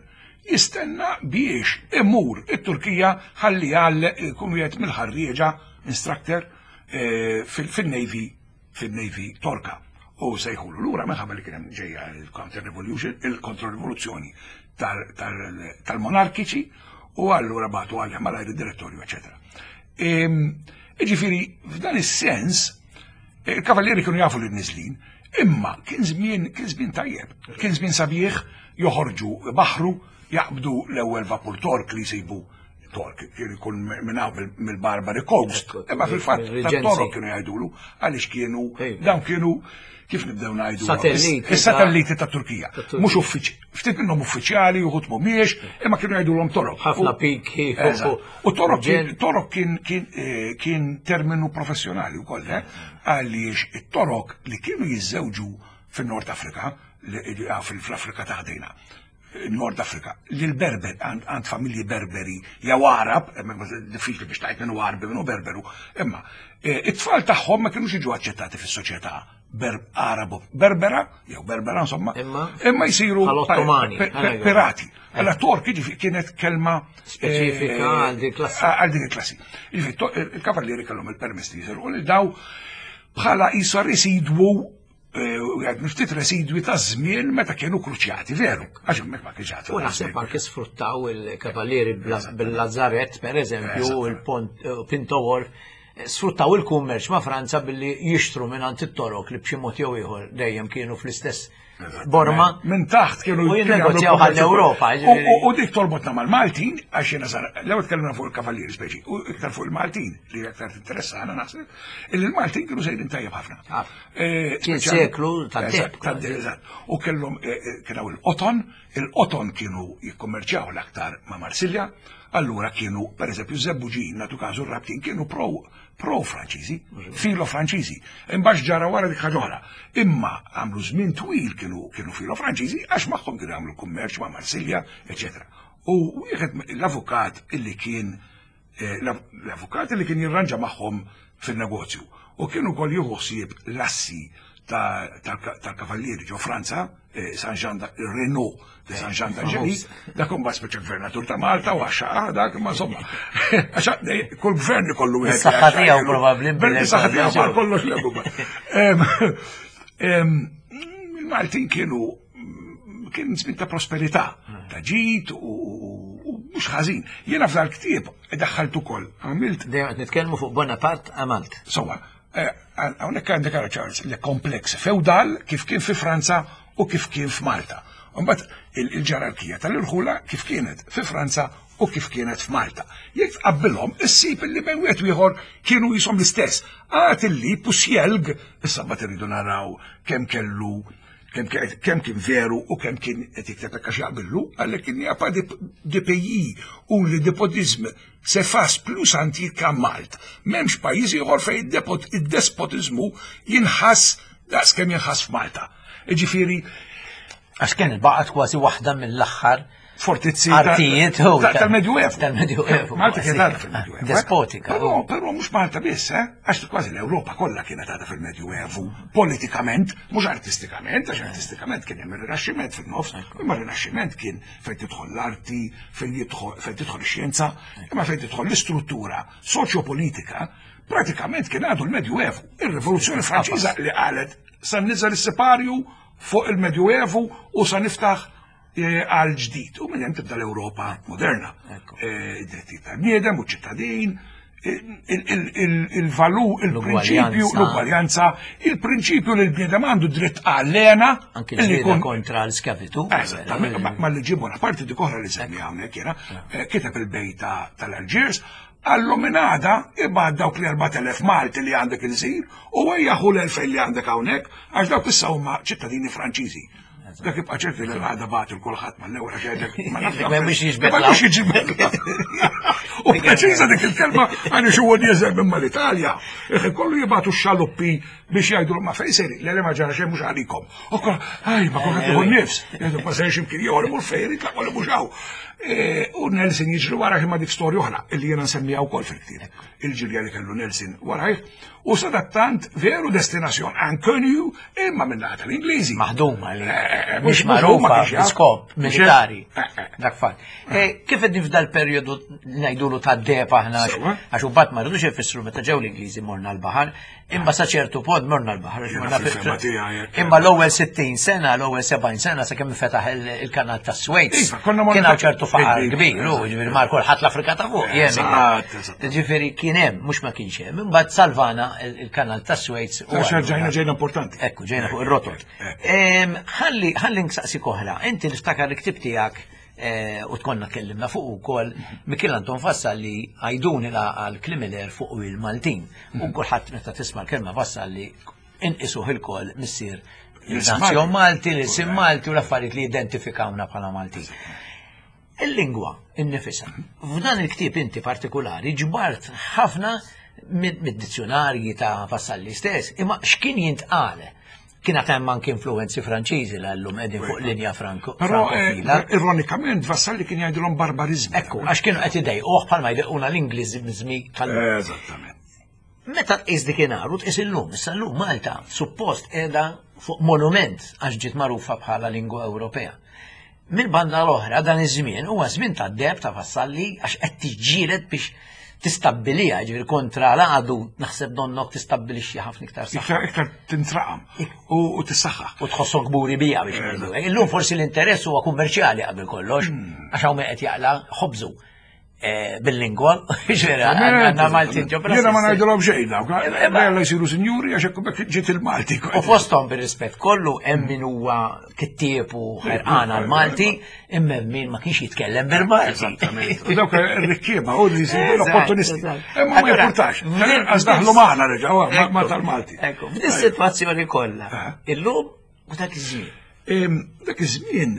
[SPEAKER 2] jistenna biex imur it-Turkija ħalli għal ikun wieħed mill-ħarrieġa instructor fil-Navy fin-Navy Torka u sejħulu lura minħabba li kien hemm ġejja il-counter revolution, il-kontro-rivoluzzjoni tal-monarkiċi u allura bagħtu għalih malajr id-direttorju, eċetera. Iġifieri, f'dan is-sens, il-kavallieri kienu jafu li niżlin, imma kien żmien kien żmien tajjeb, kien żmien sabiħ joħorġu baħru, jaqbdu l-ewwel vapur Tork li jsibu Tork, kien ikun minn hawn mill-Barbary Coast, imma fil-fatt tat-Torok kienu jgħidulu għaliex kienu dawn kienu kif nibdew ngħidu
[SPEAKER 1] Satelliti.
[SPEAKER 2] Is-satelliti ta' Turkija. Mhux uffiċ, ftit minnhom uffiċjali, uħud mhumiex, imma kienu jgħidulhom Torok.
[SPEAKER 1] Ħafna piki.
[SPEAKER 2] U Torok Torok kien eh, kien terminu professjonali wkoll, eh, għaliex it-Torok li kienu jiżżewġu fin-Nord Afrika, ah, fl-Afrika ta' ħdejna Nord Afrika, li l-Berber, għand familji Berberi, jew Arab, diffiċli biex tajt minnu Arbi minnu Berberu, imma e, it-tfal tagħhom ma kienux jiġu aċċettati fis-soċjetà Arabu Berbera, jew Berbera insomma, imma jsiru pirati. Allora Tork jiġifieri kienet kelma
[SPEAKER 1] speċifika e, għal din klassi.
[SPEAKER 2] Għal din klassi. Jiġifieri il-kavallieri kellhom il-permess li jisiru li daw bħala jisar residwu għed ftit residwi ta' żmien meta kienu kruċjati, veru, għax hemmhekk ma kienx għadu.
[SPEAKER 1] U naħseb anke sfruttaw il-kavallieri bil-Lazzaret, per eżempju, il-Pont eh, Pinto Wharf, eh, sfruttaw il-kummerċ ma' Franza billi jixtru minn għand it-torok li b'xi mod jew ieħor dejjem kienu fl-istess Borma.
[SPEAKER 2] Minn taħt kienu
[SPEAKER 1] U jinnegozjaw għall-Ewropa.
[SPEAKER 2] U dik torbotna mal-Maltin, għax jiena sar, l-ewwel tkellimna fuq il-kavallieri speċi, u iktar fuq il-Maltin li aktar tinteressana naħseb, illi l-Maltin kienu sejrin tajjeb ħafna.
[SPEAKER 1] Eh, Kien seklu ta'
[SPEAKER 2] deb. U kellhom eh, eh, kien hawn il-qoton, il-qoton kienu jikkommerċjaw l-aktar ma' Marsilja, allura kienu, per eżempju, żebbuġin, natu każu rabtin, kienu pro pro Franċiżi, filo Franċiżi. Imbagħad ġara wara dik ħaġa oħra. Imma għamlu żmien twil kienu kienu filo Franċiżi għax magħhom kienu għamlu kummerċ ma' Marsilja, eċetera. U wieħed l-avukat illi kien Eh, l-avukat li kien jirranġa magħhom fin-negozju u kien ukoll jieħu ħsieb l-assi tal-kavallieri ġo Franza, eh, San Jean Renault de San Jean d'Angeli, dak imbagħad speċa gvernatur ta' Malta u għaxa dak imma insomma. Għaxa kull gvern ikollu
[SPEAKER 1] wieħed. Saħħa tiegħu probabbli.
[SPEAKER 2] Saħħa tiegħu kollox Il-Maltin kienu kien żmien ta' prosperità, ta' ġid u mhux ħażin. Jiena f'dal ktieb daħħalt ukoll għamilt.
[SPEAKER 1] Dejjem qed nitkellmu fuq Bonaparte għamalt.
[SPEAKER 2] Sowa, eh, hawnhekk għandek ara Charles, le kompleks feudal kif kien fi Franza u kif kien f'Malta. Mbagħad il-ġerarkija tal-irħula kif kienet fi Franza u kif kienet f'Malta. Jekk tqabbilhom, issib illi bejn wieħed ieħor kienu jisom l-istess. Għad illi Pusjelg, issa mbagħad irridu naraw kemm kellu kemm kien veru u kemm kien qed jikteb hekk għax jaqbillu, għalhekk kien japa de pays u li depotizm se fas plus antik ka Malt. M'hemmx pajjiż ieħor fejn id-despotiżmu jinħass daqs kemm jinħass f'Malta. Ġifieri
[SPEAKER 1] Għax kien baqgħet kważi waħda mill-aħħar.
[SPEAKER 2] fortizzi
[SPEAKER 1] artijiet
[SPEAKER 2] tal-Medjuevu.
[SPEAKER 1] Tal-Medjuevu.
[SPEAKER 2] Malta kienet għadha fil-Medjuevu. Eh?
[SPEAKER 1] Despotika.
[SPEAKER 2] Però, però mhux Malta biss, eh? Għax kważi l-Ewropa kollha kienet għadha fil-Medjuevu, politikament, mhux artistikament, għax artistikament kien hemm ir-Rinaxximent fin-nofs, imma r-Rinaxximent kien fejn tidħol l-arti, fejn tidħol ix-xjenza, imma fejn tidħol l-istruttura soċjopolitika, pratikament kien għadu l-Medjuevu. Ir-Rivoluzzjoni Franċiża li qalet sa niżel is-separju fuq il-Medjuevu u sa niftaħ eh, għal ġdid. U minn hemm tibda l-Ewropa moderna. Eh, id-drittijiet tal-bniedem u ċittadin, il-valu, il-prinċipju, l-ugwaljanza, il-prinċipju li l-bniedem għandu dritt għall-lena.
[SPEAKER 1] Anki l-ġlieda kontra l-skavitu.
[SPEAKER 2] Eżattament, ma li ġibu parti dik oħra li semmi hawnhekk jiena, eh, kiteb il-bejta tal-Alġiers, Għallu minn għada ibgħat dawk l-4000 Malti li għandek ilsir u ejja ħu l-2000 li għandek hawnhekk għax dawk issa huma ċittadini Franċiżi. Dak ibqa' ċerti li l-għada bagħat il kulħadd mal-ewwel għax jgħidlek ma nafx.
[SPEAKER 1] Ma mhux jiġbed.
[SPEAKER 2] Ma mhux jiġbed. U preċiża dik il-kelma għaliex huwa nieżel minn mal-Italja. Kollu jibgħatu x-xaluppi biex jgħidu ma fejn seri, le ma ġara xejn mhux għalikom. U kol, aj, ma kulħadd tieħu nifs, jgħidu ma serx imkien ieħor imur fejn irid laqgħu li mhux hawn. E, u Nelson jiġri wara imma dik storja oħra illi jiena nsemmiha wkoll fil-ktieb. Il-ġirja li kellu Nelson warajh u sadattant veru destinazzjon ankonju imma minn naħa tal-Ingliżi.
[SPEAKER 1] Maħduma li
[SPEAKER 2] eh, eh,
[SPEAKER 1] mhux magħrufa skop militari. Dak fatt. Kif qed f'dal perjodu ngħidulu ta' deb aħna għax u bat ma rridux ifissru meta ġew l-Ingliżi morna l-baħar, Imma sa ċertu pod morna l-baħar. Imma l-ewwel 60 sena, l-ewwel 70 sena sakemm fetaħ il-kanal ta' Suez.
[SPEAKER 2] Iva,
[SPEAKER 1] kien hawn ċertu faqar kbir, u ġifieri mar kulħadd l-Afrika ta' fuq. Ġifieri kien hemm, mhux ma kienx hemm. Imbagħad salvana il-kanal ta' Suez.
[SPEAKER 2] Ġejna ġejna importanti.
[SPEAKER 1] Ekku, ġejna fuq ir-rotot. Ħalli ħalli nsaqsi koħra, inti niftakar il-ktib tiegħek Eh, u tkonna kellimna fuq ukoll Mikiel Anton Vassalli għajduni la għal Klimiler fuq il-Maltin. U mhm. kulħadd meta tisma' l-kelma Vassalli inqisuh il-koll missier il-nazzjon Malti, l-isim Malti u l-affarijiet li identifikawna bħala Maltin. Il-lingwa innifisa. F'dan il-ktieb inti partikolari ġbart ħafna mid-dizzjonarji ta' Vassalli stess, imma x'kien jintqal Kien għad hemm anke influenzi Franċiżi li llum qegħdin fuq linja franko.
[SPEAKER 2] Però eh, ironikament Vassalli kien jgħidilhom barbarizmi.
[SPEAKER 1] Ekku, għax kienu qed idejquh bħalma jdejquna l-Ingliżmi
[SPEAKER 2] tal. Eżattament.
[SPEAKER 1] Meta tqis dik inhar u tqis illum, issa llum Malta suppost qiegħda fuq monument għax ġiet magħrufa bħala lingwa Ewropea. Mill-banda l-oħra dan iż-żmien huwa żmien ta' deb ta' vassalli għax qed tiġġieled biex tistabbilija, ġifieri kontra l-għadu naħseb donnok tistabbilixxi ħafna iktar
[SPEAKER 2] saħħa. Iktar iktar tintraqam u tissaħħa.
[SPEAKER 1] U tħossok kburi bija biex ngħidu. Illum forsi l-interess huwa kummerċjali qabel kollox, hmm. għax hawn qed jaqla ħobżu. Eh, bil-lingwa, ġvera, għanna Maltin ġo
[SPEAKER 2] Jena ma najdilom xejn, dawk, eh, għalla jisiru sinjuri għax ekku bekk ġiet il-Malti.
[SPEAKER 1] U fostom bil-rispett kollu, hemm min huwa kittieb u ħerqan għal-Malti, imma min ma kienx jitkellem bil-Malti.
[SPEAKER 2] U dawk ir-rikkieba, u li jisiru l-opportunisti. Imma ma jipportax, għax daħlu maħna reġaw, ma tal-Malti.
[SPEAKER 1] Ekku, f'din situazzjoni kollha, illum u dak iż-żmien.
[SPEAKER 2] Dak iż-żmien,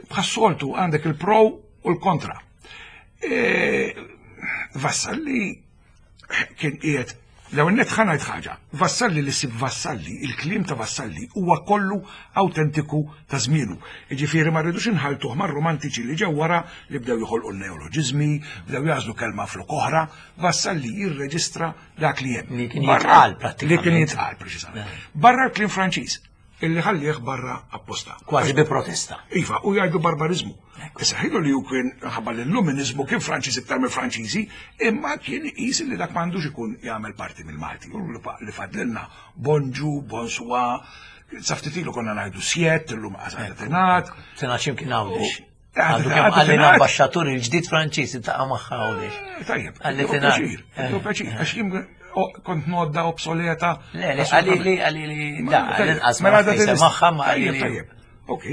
[SPEAKER 2] bħas-soltu għandek il-pro u l-kontra. E, Vassalli kien qiegħed l-ewwel nett ħa ngħid ħaġa, Vassalli li sib Vassalli, il-kliem ta' Vassalli huwa kollu awtentiku ta' żmienu. Jiġifieri ma rridux inħaltuh mar-romantiċi li ġew wara li bdew joħolqu n-neoloġiżmi, bdew jagħżlu kelma flok oħra, Vassalli jirreġistra dak li hemm.
[SPEAKER 1] Li kien jitqal prattikament.
[SPEAKER 2] Li kien jitqal preċiżament. Barra l-kliem Franċiż. illi ħallih barra apposta.
[SPEAKER 1] Kważi bi protesta.
[SPEAKER 2] Iva, u jgħidu barbarizmu. Issa ħilu li hu kien ħabba l-illuminizmu kien Franċiż iktar mill Franċiżi, imma kien iqis li dak m'għandux ikun jagħmel parti mill-Malti. U li fadlilna bonġu, bonswa, saftitilu konna ngħidu sjett, illum qasal tingħad.
[SPEAKER 1] Tingħad x'imkien hawnx. Għandu kemm għalli l-ambasċatur il-ġdid Franċiż iltaqa' magħha hawnhekk.
[SPEAKER 2] Eh, tajjeb, għalli tingħad. Eh. Pjaċir, għax jien oh, kont nodda obsoleta.
[SPEAKER 1] Le, le, għalli li, għalli li, da, l-inqas ma magħha ma għalli.
[SPEAKER 2] Tajjeb, ok.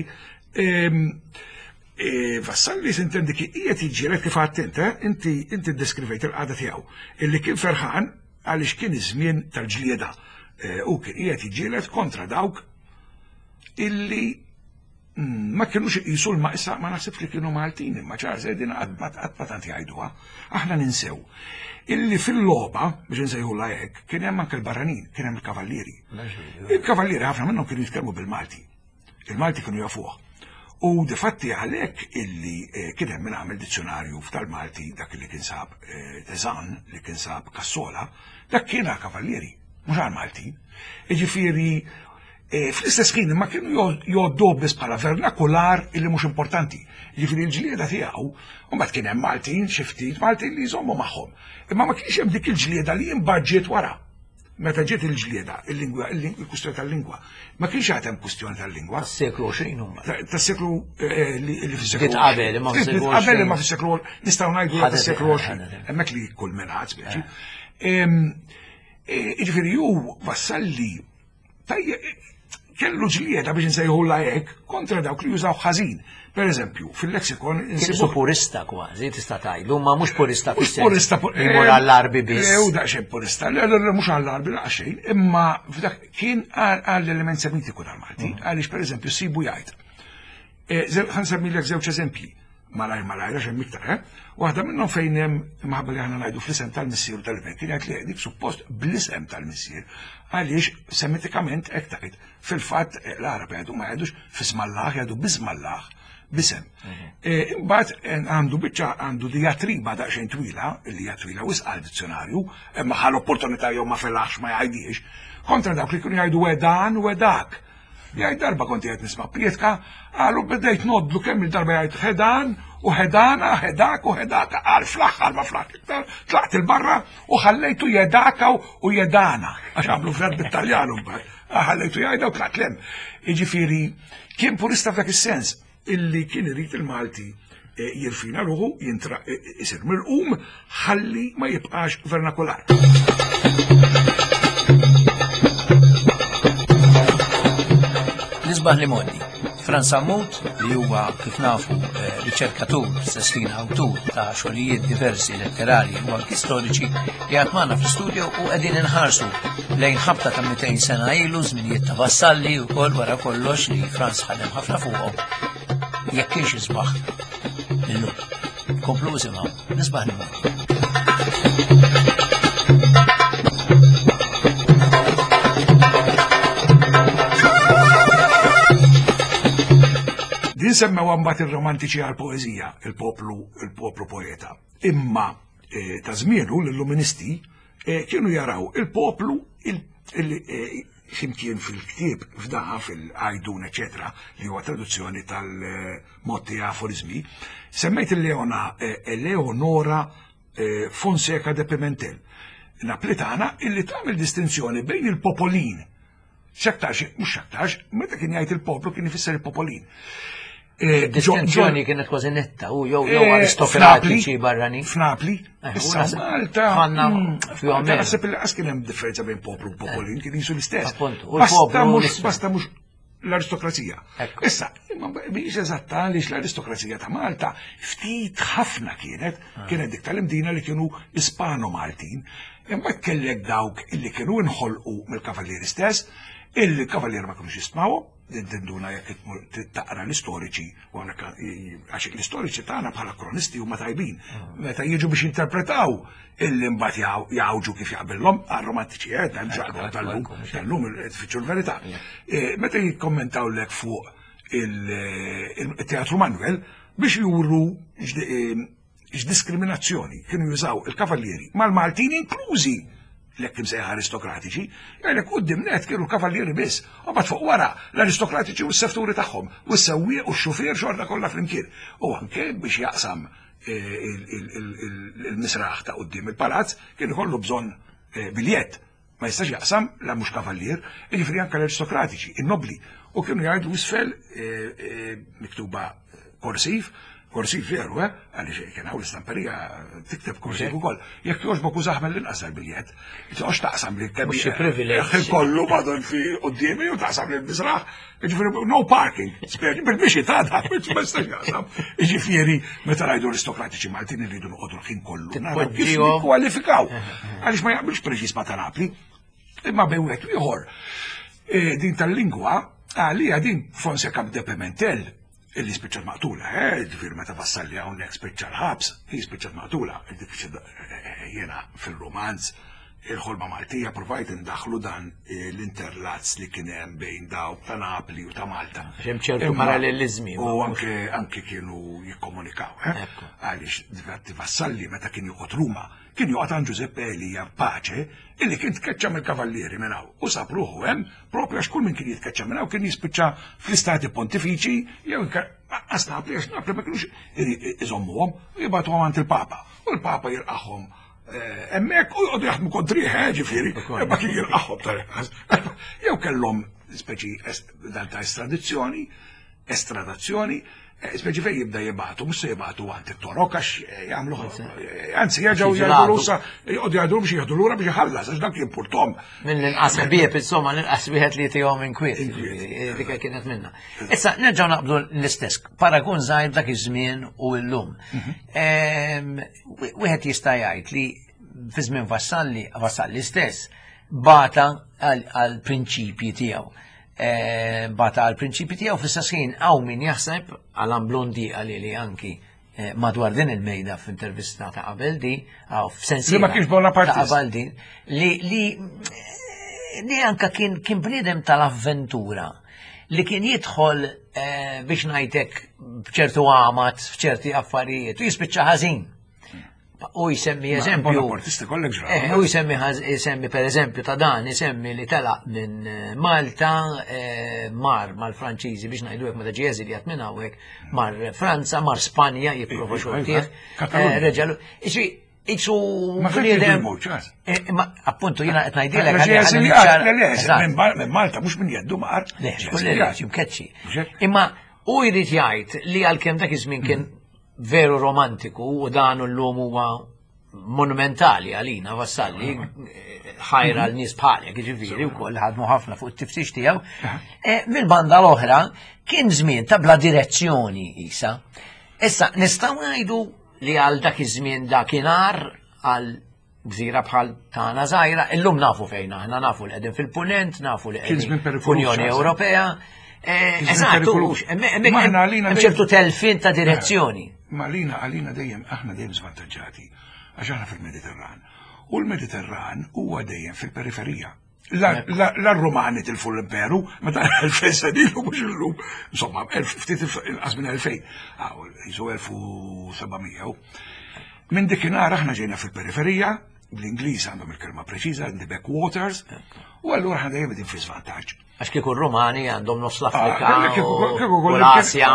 [SPEAKER 2] Ehm, e, Vassalli sintendi ki qiegħed jiġġieled kif għadt int, eh? inti inti ddeskrivejt il-qagħda tiegħu illi kien ferħan għaliex kien iż-żmien tal-ġlieda u kien qiegħed jiġġieled kontra dawk illi ma kienux iqisu l-maqsa ma naħsibx li kienu Maltin imma ċar din qatt ma tant jgħiduha. Aħna ninsew illi fil-logħba biex insejħulha hekk kien hemm anke l-barranin, kien hemm il-kavallieri. Il-kavallieri ħafna minnhom kienu jitkellmu bil-Malti. Il-Malti kienu jafuh. U difatti għalhekk illi eh, kien hemm min għamel dizzjonarju tal-Malti dak li kien sab eh, Tezan, li kien sab Kassola, dak kien għal kavallieri, mhux għal Malti. Jiġifieri eh, fl-istess ħin ma kienu jgħoddu biss bħala vernakular illi mhux importanti. Jiġifieri l-ġlieda tiegħu, u mbagħad kien hemm Maltin, xi ftit Maltin li jżommu magħhom. Imma ma kienx hemm dik il-ġlieda li imbagħad wara. Meta ġiet il-ġlieda, il-lingwa, il-kustjoni tal-lingwa, ma kienx għad hemm kustjoni tal-lingwa.
[SPEAKER 1] Tas-seklu 20 huma.
[SPEAKER 2] Tas-seklu eh, li fis-seklu.
[SPEAKER 1] Qabel imma
[SPEAKER 2] fis-seklu. Qabel imma fis-seklu nistgħu ngħidu tas-seklu 20. Hemmhekk li kull minn ħadd speċi. Eh. Eh, jiġifieri hu vassalli kellu ġlieda biex nsejħu hekk kontra dawk li jużaw ħażin. Per eżempju, fil-lexikon
[SPEAKER 1] insibu purista kważi, tista' tgħidlu, ma mhux purista
[SPEAKER 2] fis Purista
[SPEAKER 1] imur għall-arbi biss.
[SPEAKER 2] U daqsxejn purista, le le mhux għall-arbi daqsxejn, imma f'dak kien għall-element semitiku tal-Malti, mm. għaliex per eżempju sibu jgħid. Eh, ħansemmilek żewġ eżempji malajr malajr għax hemm iktar, eh? Waħda minnhom fejn hemm imħabba li aħna ngħidu fl-isem tal-missier u tal-iben, kien jgħid li dik suppost bl-isem tal-missier għaliex semitikament hekk tgħid. Fil-fatt eh, l-Arab jgħidu ma jgħidux fismallah, jgħidu bismallah, bisem. Mhm. Eh, imbagħad eh, għandu biċċa għandu diatriba daqsxejn twila, li hija twila wisq għal dizzjonarju, imma ħal opportunità jew ma felaħx ma jgħidix, kontra dawk li kienu jgħidu wedan u wedak. Jgħid darba kont qed nisma' prietka, qalu bdejt nodlu kemm il-darba jgħid ħedan u ħedana, ħedak u ħedaka, qal fl-aħħar ma fl-aħħar iktar, tlaqt il-barra u ħallejtu jedaka u jedana, għax għamlu verb bit-Taljan mbagħad, ħallejtu jgħidha u tlaqt lem. Jiġifieri kien purista f'dak is-sens illi kien irid il-Malti eh, jirfina ruħu, jintra eh, isir mirqum, ħalli ma jibqax vernakular.
[SPEAKER 1] Nisbaħ li modi. Franz Sammut, li huwa kif nafu eh, riċerkatur, stess ħin awtur ta' xogħlijiet diversi letterari u anki storiċi, li għad magħna fl-studio u qegħdin inħarsu lejn ħabta ta' 200 sena ilu, żminijiet ta' Vassalli u kol wara kollox li Franz ħadem ħafna fuqhom jekk kienx isbaħ illum. Komplu isimgħu, nisbaħ li
[SPEAKER 2] Din semmew mbagħad ir-romantiċi għal poeżija, il-poplu il-poplu poeta. Imma eh, ta' żmienu l-illuministi eh, kienu jaraw il-poplu eh, ximkien fil-ktieb f'daħa fil-għajdun, eċetera, li huwa traduzzjoni tal-motti aforizmi, semmejt il-Leona eh, Eleonora eh, Fonseca de Pimentel, Naplitana illi tagħmel distinzjoni bejn il-popolin. Xaktarx, mhux xaktarx, meta kien jgħid il-poplu kien ifisser il-popolin.
[SPEAKER 1] Eh, Distinzjoni kienet kważi netta u jew jew eh, aristokratiċi barrani.
[SPEAKER 2] F'Napli. Eh, Issa Malta.
[SPEAKER 1] Għandna mm,
[SPEAKER 2] fihom. Naħseb li qas kien hemm differenza bejn poplu u popolin, kien jisu l-istess. Basta mhux basta mhux l-aristokrazija. Issa, mhix eżatta għaliex l-aristokrazija ta' Malta ftit ħafna kienet, ah. kienet dik tal-imdina li kienu Ispano-Maltin, imma kellek dawk illi kienu inħolqu mill-kavallieri stess, illi kavallieri ma kienux jistmawhom, Din tinduna jekk tmur taqra l-istoriċi, u għax l-istoriċi tagħna bħala kronisti huma tajbin. Ah. Meta jiġu biex jinterpretaw illi mbagħad jgħawġu kif jaqbillhom għar-romantiċi eh, hemm xaqbel tal-lum, tal-lum tfittxu l-verità. Eh, meta jikkommentaw lek fuq il-Teatru Manuel biex juru eh, x'diskriminazzjoni kienu jużaw il-kavallieri mal-Maltin inklużi l-hekk imsejħa aristokratiċi, jgħidlek quddiem net kienu l-kavallieri biss, u mbagħad fuq wara l-aristokratiċi u s-sefturi tagħhom, u s-sewwieq u x-xufier xorta kollha flimkien. U anke biex jaqsam eh, il-misraħ ta' quddiem il-palazz kien ikollu bżonn eh, biljett. Ma jistax jaqsam la mhux kavallier, jiġifieri anke l-aristokratiċi, in-nobli. U kienu jgħidu isfel eh, eh, miktuba korsiv, korsiv veru, eh, għaliex kien hawn l-istamperija tikteb korsiv ukoll. Jekk jogħġbok użah mill-inqas tal-biljett, toqgħodx taqsam li kemm.
[SPEAKER 1] Mhux privileġġ.
[SPEAKER 2] Kollu madon fi quddiemi u taqsam li l-biżraħ, jiġifieri no parking, speċi bil-bixi ta' da, ma jistax jaqsam. Jiġifieri meta ngħidu aristokratiċi Maltin irridu noqogħdu l-ħin kollu. Naraw kif nikkwalifikaw. Għaliex ma jaqbilx preċiż ma ta' Napli. Imma bejn wieħed u ieħor. E, din tal-lingwa għalija din Fonseca de Pimentel illi spiċċat maqtula, eh, ġifieri meta vassalli hawnhekk spiċċa l-ħabs, hi spiċċat maqtula, eh, jiena fil-romanz. Il-ħolma Maltija provajt indaħlu dan l-interlazz li kien hemm bejn dawk ta' Napli u ta' Malta.
[SPEAKER 1] Hemm ċertu parallelizmi.
[SPEAKER 2] U anke anke kienu jikkomunikaw. Eh? Għaliex difatti Vassalli meta kien joqgħod Ruma, kien joqgħod għand Giuseppe Elia Pace illi kien tkeċċa mill-kavallieri minn hawn u sab ruħu hemm propju għax kull min kien jitkeċċa minn hawn kien jispiċċa fl-istati pontifiċi jew għas Napli għax Napli ma kienux iżommuhom u jibgħatuhom għand il-Papa. U l-Papa jilqagħhom Eh, hemmhekk u jqogħdu jaħdmu kontriħ, eh, ġifieri, imma kien jilqagħhom tal-inqas. Jew kellhom speċi dan ta' estradizzjoni, estradazzjoni, eh, speċi fejn jibda jibgħatu, mhux se jibgħatu għand it-torok għax jagħmlu anzi jerġgħu jgħidu sa jqogħdu jgħidu biex jieħdu lura biex iħallas għax dak jimpurtom.
[SPEAKER 1] Mill-inqas ħbieb insomma l-inqas wieħed li tihom inkwiet. Dik kienet minna. Issa nerġgħu naqbdu l-istess paragun żgħir dak iż-żmien u llum. Mhm. Wieħed jista' jgħid li fi żmien Vassalli, Vassalli stess, bata għal prinċipji tiegħu. E, bata għal prinċipji tiegħu fl-istess ħin hawn min jaħseb għal Blondi għalli li anki e, madwar din il-mejda f'intervista ta' qabel di, għaw f'sensi.
[SPEAKER 2] Li ma kienx Bonapartist.
[SPEAKER 1] Ta' qabel din, li li li anka kien kien bniedem tal-avventura li kien jidħol eh, biex ngħidlek b'ċertu għamat f'ċerti affarijiet u jispiċċa ħażin. U jsemmi eżempju. Eh, u jsemmi jsemmi per eżempju ta' dan jsemmi li telaq minn eh, Malta mar mal-Franċiżi biex ngħidu hekk meta ġie eżiljat minn hawnhekk mar Franza, mar Spanja jipprova xortih. Reġalu. Isu
[SPEAKER 2] Ma bniedem. Eh,
[SPEAKER 1] ma appuntu jiena qed ngħidilek.
[SPEAKER 2] Minn Malta mhux minn jeddu mar.
[SPEAKER 1] Le, mkeċċi. Imma u jrid jgħid li għalkemm dak iż-żmien kien veru romantiku u dan llum huwa monumentali għalina Vassalli ħajra l nies bħalek, ġifieri wkoll ħadmu ħafna fuq it-tiftix tiegħu. Eh, mill-banda l-oħra kien żmien ta' bla direzzjoni isa. Issa nistgħu ngħidu li għal dak iż-żmien dakinhar għal gżira bħal tagħna żgħira, illum nafu fejn aħna, nafu li qegħdin fil-punent, nafu li qegħdin fl-Unjoni Ewropea. Eh, eżatt, hemm ċertu telfin ta' direzzjoni.
[SPEAKER 2] Ma lina għalina dejjem aħna dejjem żvantaġġati għax aħna fil-Mediterran. U l-Mediterran huwa dejjem fil-periferija. La r-Rumani tilfu l-imperu, meta 2000 sena ilu mhux illum, insomma, ftit inqas minn 2000, jisu 1700. Minn dikinhar aħna ġejna fil-periferija, bl-Ingliż għandhom il-kelma preċiża, the backwaters, u allura aħna dejjem qegħdin fi żvantaġġ.
[SPEAKER 1] Għax kieku r-Rumani għandhom nofs l-Afrika ah, u l-Asja.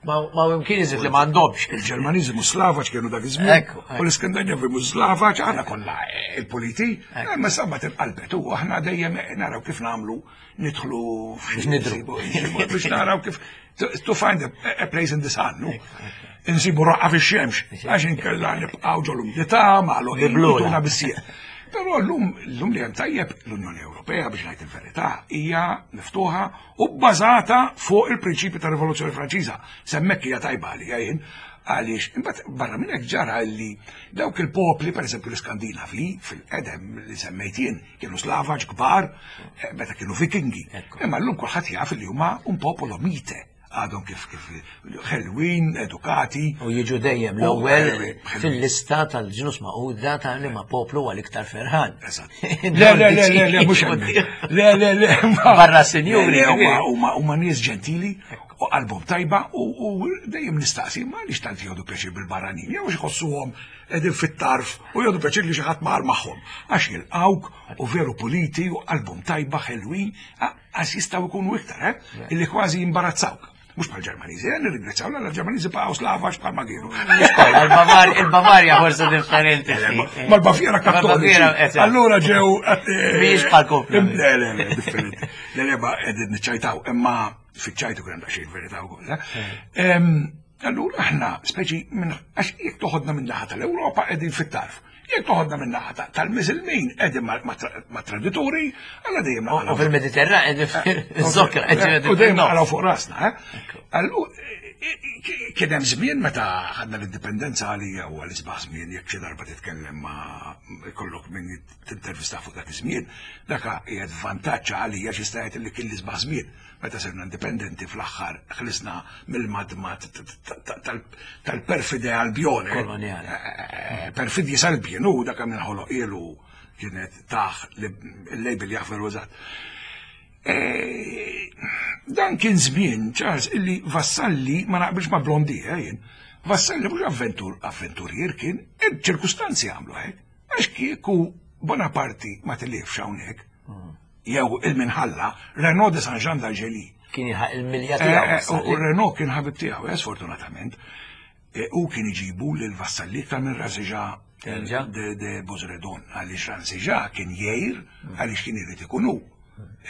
[SPEAKER 1] Ma imkien iżid li m'għandhomx.
[SPEAKER 2] Il-Ġermaniżi mhux Slavaċ kienu dak iż-żmien. U l-Iskandinavi mhux Slavaċ, aħna kollha eh, il-politi, eh, ma sabba tinqalbet u aħna dejjem naraw kif nagħmlu nidħlu biex naraw kif to find a place in the sun. Insibu raqqa fix-xemx, għax inkella nibqgħu ġol-umdità, magħluqin bissieq. Però llum llum li hemm tajjeb l-Unjoni Ewropea biex ngħid il-verità hija miftuħa u bbażata fuq il-prinċipju ta' Rivoluzzjoni Franċiża. Semmek hija tajba għalija jien għaliex imbagħad barra minn hekk ġara li dawk il-popli, pereżempju l-Iskandinavi, fil-qedem li semmejt jien, kienu slavaġ kbar eh, meta kienu vikingi. Imma llum kulħadd jaf li huma un popolo mite għadhom kif kif ħelwin, edukati.
[SPEAKER 1] U jiġu dejjem l-ewwel fil-lista tal-ġnus maquda ta' li ma poplu għal iktar ferħan.
[SPEAKER 2] Le, le, le, le, le, mhux Le, le, le.
[SPEAKER 1] Barra sinjuri.
[SPEAKER 2] Huma nies ġentili u qalbhom tajba u dejjem nistaqsi ma għaliex tant jgħodu pjaċir bil-barranin, jew jħossuhom qegħdin fit-tarf u jgħodu pjaċir li xi ħadd mar magħhom. Għax jilqawk u veru puliti u qalbhom tajba ħelwin, għax jistgħu jkunu iktar, eh? Illi kważi jimbarazzawk. Mux bħal Ġermaniżi, eh, nirringrazzjaw l ġermaniżi baqgħu slavax bħal ma kienu.
[SPEAKER 1] Il-Bavarja forse differenti.
[SPEAKER 2] Eh, ma l-Baviera kattoliċi. Allura ġew.
[SPEAKER 1] Eh, Mhijiex bħal kopja.
[SPEAKER 2] Le, le, le, differenti. Le, le, ma qegħdin niċċajtaw, imma fiċ-ċajtu kien daqsxejn verità wkoll. Allura aħna speċi minn għax jekk toħodna minn naħa tal-Ewropa qegħdin fit-tarf. Jekk toħodna minn naħa tal-Miżilmin qegħdin ma' tradituri, alla dejjem
[SPEAKER 1] U fil-Mediterran qegħdin fil-Zokra.
[SPEAKER 2] U dejjem naqalgħu fuq rasna. Eh? Kien hemm żmien meta ħadna l-indipendenza għalija u għal isbaħ żmien jekk xi darba titkellem ma' kollok min tintervista fuq dak iż-żmien, dak qiegħed vantaġġ għalija xi jista' jgħid li kien l-isbaħ żmien. Meta sirna indipendenti fl-aħħar ħlisna mill-madmad tal-perfide Albjone.
[SPEAKER 1] Koloniali.
[SPEAKER 2] Eh, eh, perfidji salbjien u dak minn ħoloq ilu. kienet taħ il-label jaf veru eżatt. E, dan kien żmien, Charles, illi Vassalli ma naqbilx ma' Blondi, eh, jien. Vassalli mhux avventur, avventurier kien, il-ċirkustanzi għamlu hekk. Għax kieku Bonaparte ma tilifx hawnhekk, jew il-minħalla, Renaud de Saint-Jean d'Algélie.
[SPEAKER 1] Kien jilħaq il-milja tiegħu.
[SPEAKER 2] Eh, eh, u Renaud kien ħabib tiegħu, eh, sfortunatament. U kien iġibu lil Vassalli iktar minn Raziġa de Bozredon, għaliex Raziġa kien jgħir għaliex kien irid ikun hu.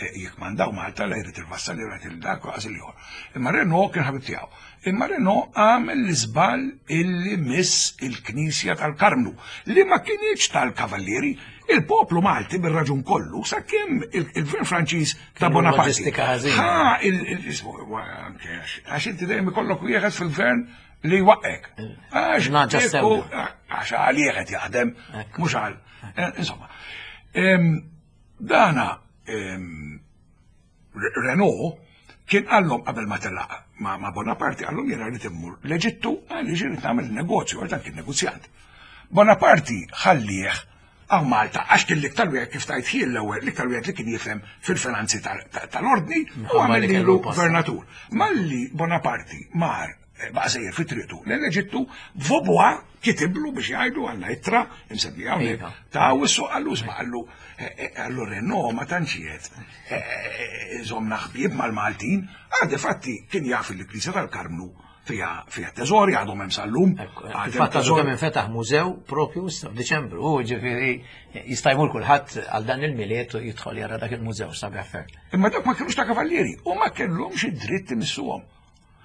[SPEAKER 2] Jekk mandaw Malta la jrid il-Vassalli jrid il-dak u għażil ieħor. Imma Renault kien ħabib tiegħu. Imma Renault għamel l-iżball illi miss il-Knisja tal-Karmnu li ma kienx tal-Kavallieri, il-poplu Malti bir-raġun kollu sakemm il-Gvern Franċiż ta' Bonaparte.
[SPEAKER 1] Ha,
[SPEAKER 2] għax inti dejjem ikollok wieħed fil-gvern li jwaqqek. Għax għax għalih qed jaħdem, mhux għal. Eh, insomma, dana Renault kien qallhom qabel ma telaq ma' Bonaparte qallhom jiena rrid immur l-Eġittu għaliex irid nagħmel negozju għax dan kien negozjant. Bonaparte ħallih hawn Malta għax kien l-iktar wieħed kif tajt ħin l-ewwel l-iktar wieħed li kien jifhem fil-finanzi tal-ordni u għamel lilu gvernatur. Malli Bonaparte mar eh, baqa' sejjer fi triqtu l-Eġittu, Vaubois kitiblu biex jgħidu għandna ittra imsemmija hawnhekk iva. ta' wissu qallu isma' qallu eh, eh, qallu Renault ma tantx qiegħed iżommna ħbieb mal-Maltin, għad fatti kien jaf il-Knisja tal-Karmnu fija fija teżori għadhom hemm sal-lum.
[SPEAKER 1] Fil-fatt għadu kemm infetaħ mużew propju issa f'Diċembru, u ġifieri jista' jmur kulħadd għal dan il-miliet u jidħol jara dak il-mużew sabiħ ferm.
[SPEAKER 2] Imma dak ma kienux ta' kavallieri u ma kellhomx id-dritt imissuhom.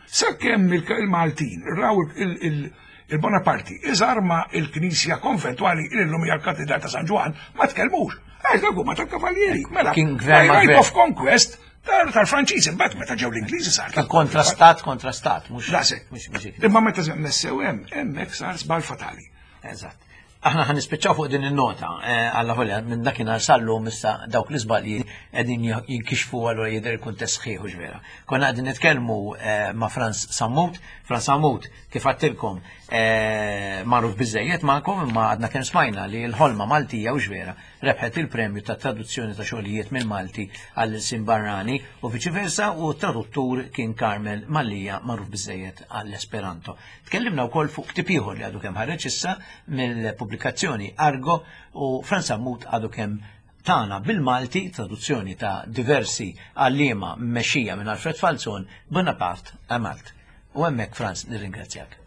[SPEAKER 2] Sakemm il-Maltin raw il-Bonaparti iżarma il-Knisja konventwali illum hija l-Katedral ta' San Ġwann ma tkellmux. Għax dak huma tal-Kavallieri. Mela,
[SPEAKER 1] kien gvern
[SPEAKER 2] right of conquest tal-Franċiżi, mbagħad meta ġew l-Ingliżi sar.
[SPEAKER 1] Kien kontra stat kontra stat, mhux.
[SPEAKER 2] Daqshekk. Imma meta messew hemm, hemmhekk sar żball fatali.
[SPEAKER 1] Eżatt. Aħna ħan nispiċċaw fuq din in-nota, eh, alla volja minn dakinhar sal-lum issa dawk l-iżbalji qegħdin jinkixfu allura jidher il-kuntest sħiħ u vera. Konna qegħdin nitkellmu eh, ma' Franz Sammut, Franz Sammut kif għattilkom eh, magħruf biżejjed magħkom imma għadna kemm smajna li l-ħolma Maltija u vera rebħet il-premju ta' traduzzjoni ta' xogħlijiet mill-Malti għall-ilsien barrani u viċi versa u t-traduttur kien Carmel Mallia magħruf biżejjed għall-Esperanto. Tkellimna wkoll fuq ktieb ieħor li għadu kemm ħareġ issa mill-pubblikazzjoni Argo u Franz Sammut għadu kemm tana bil-Malti traduzzjoni ta' diversi għalliema mmexxija minn Alfred Falzon Bonaparte a Malt. U hemmhekk Franz nirringrazzjak.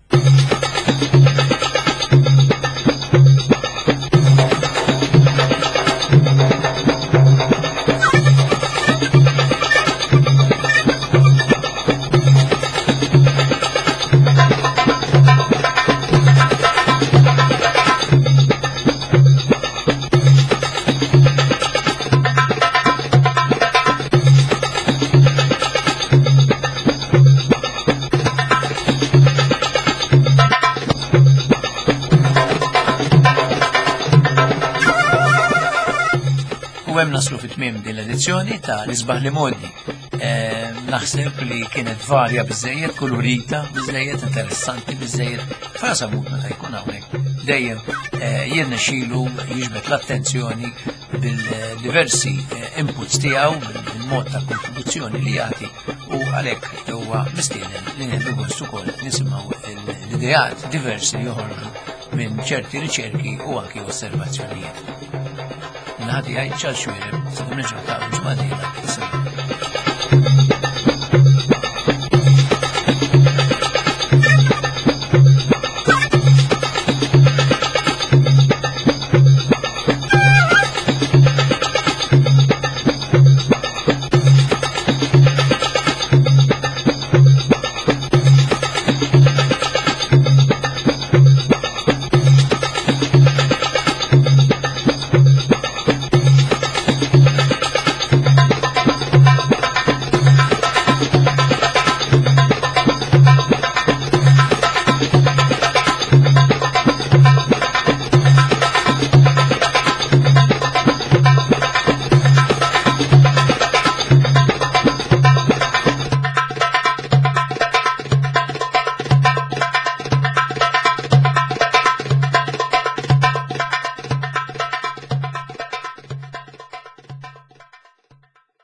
[SPEAKER 1] U hemm naslu fit-tmiem din l-edizzjoni ta' l-isbaħ li modi. Eh, naħseb li kienet varja biżejjed, kulurita biżejjed, interessanti biżejjed. Frasa mut meta jkun hawnhekk dejjem eh, jirnexxilu jiġbed l-attenzjoni bil-diversi eh, inputs tiegħu, bil-mod ta' kontribuzzjoni li jagħti u għalhekk huwa mistieden li nieħdu gost ukoll nisimgħu l-ideat diversi li joħorġu minn ċerti riċerki u anki osservazzjonijiet. Naħati għaj ċal xwireb, sa' kumneġu ta' ġmadina,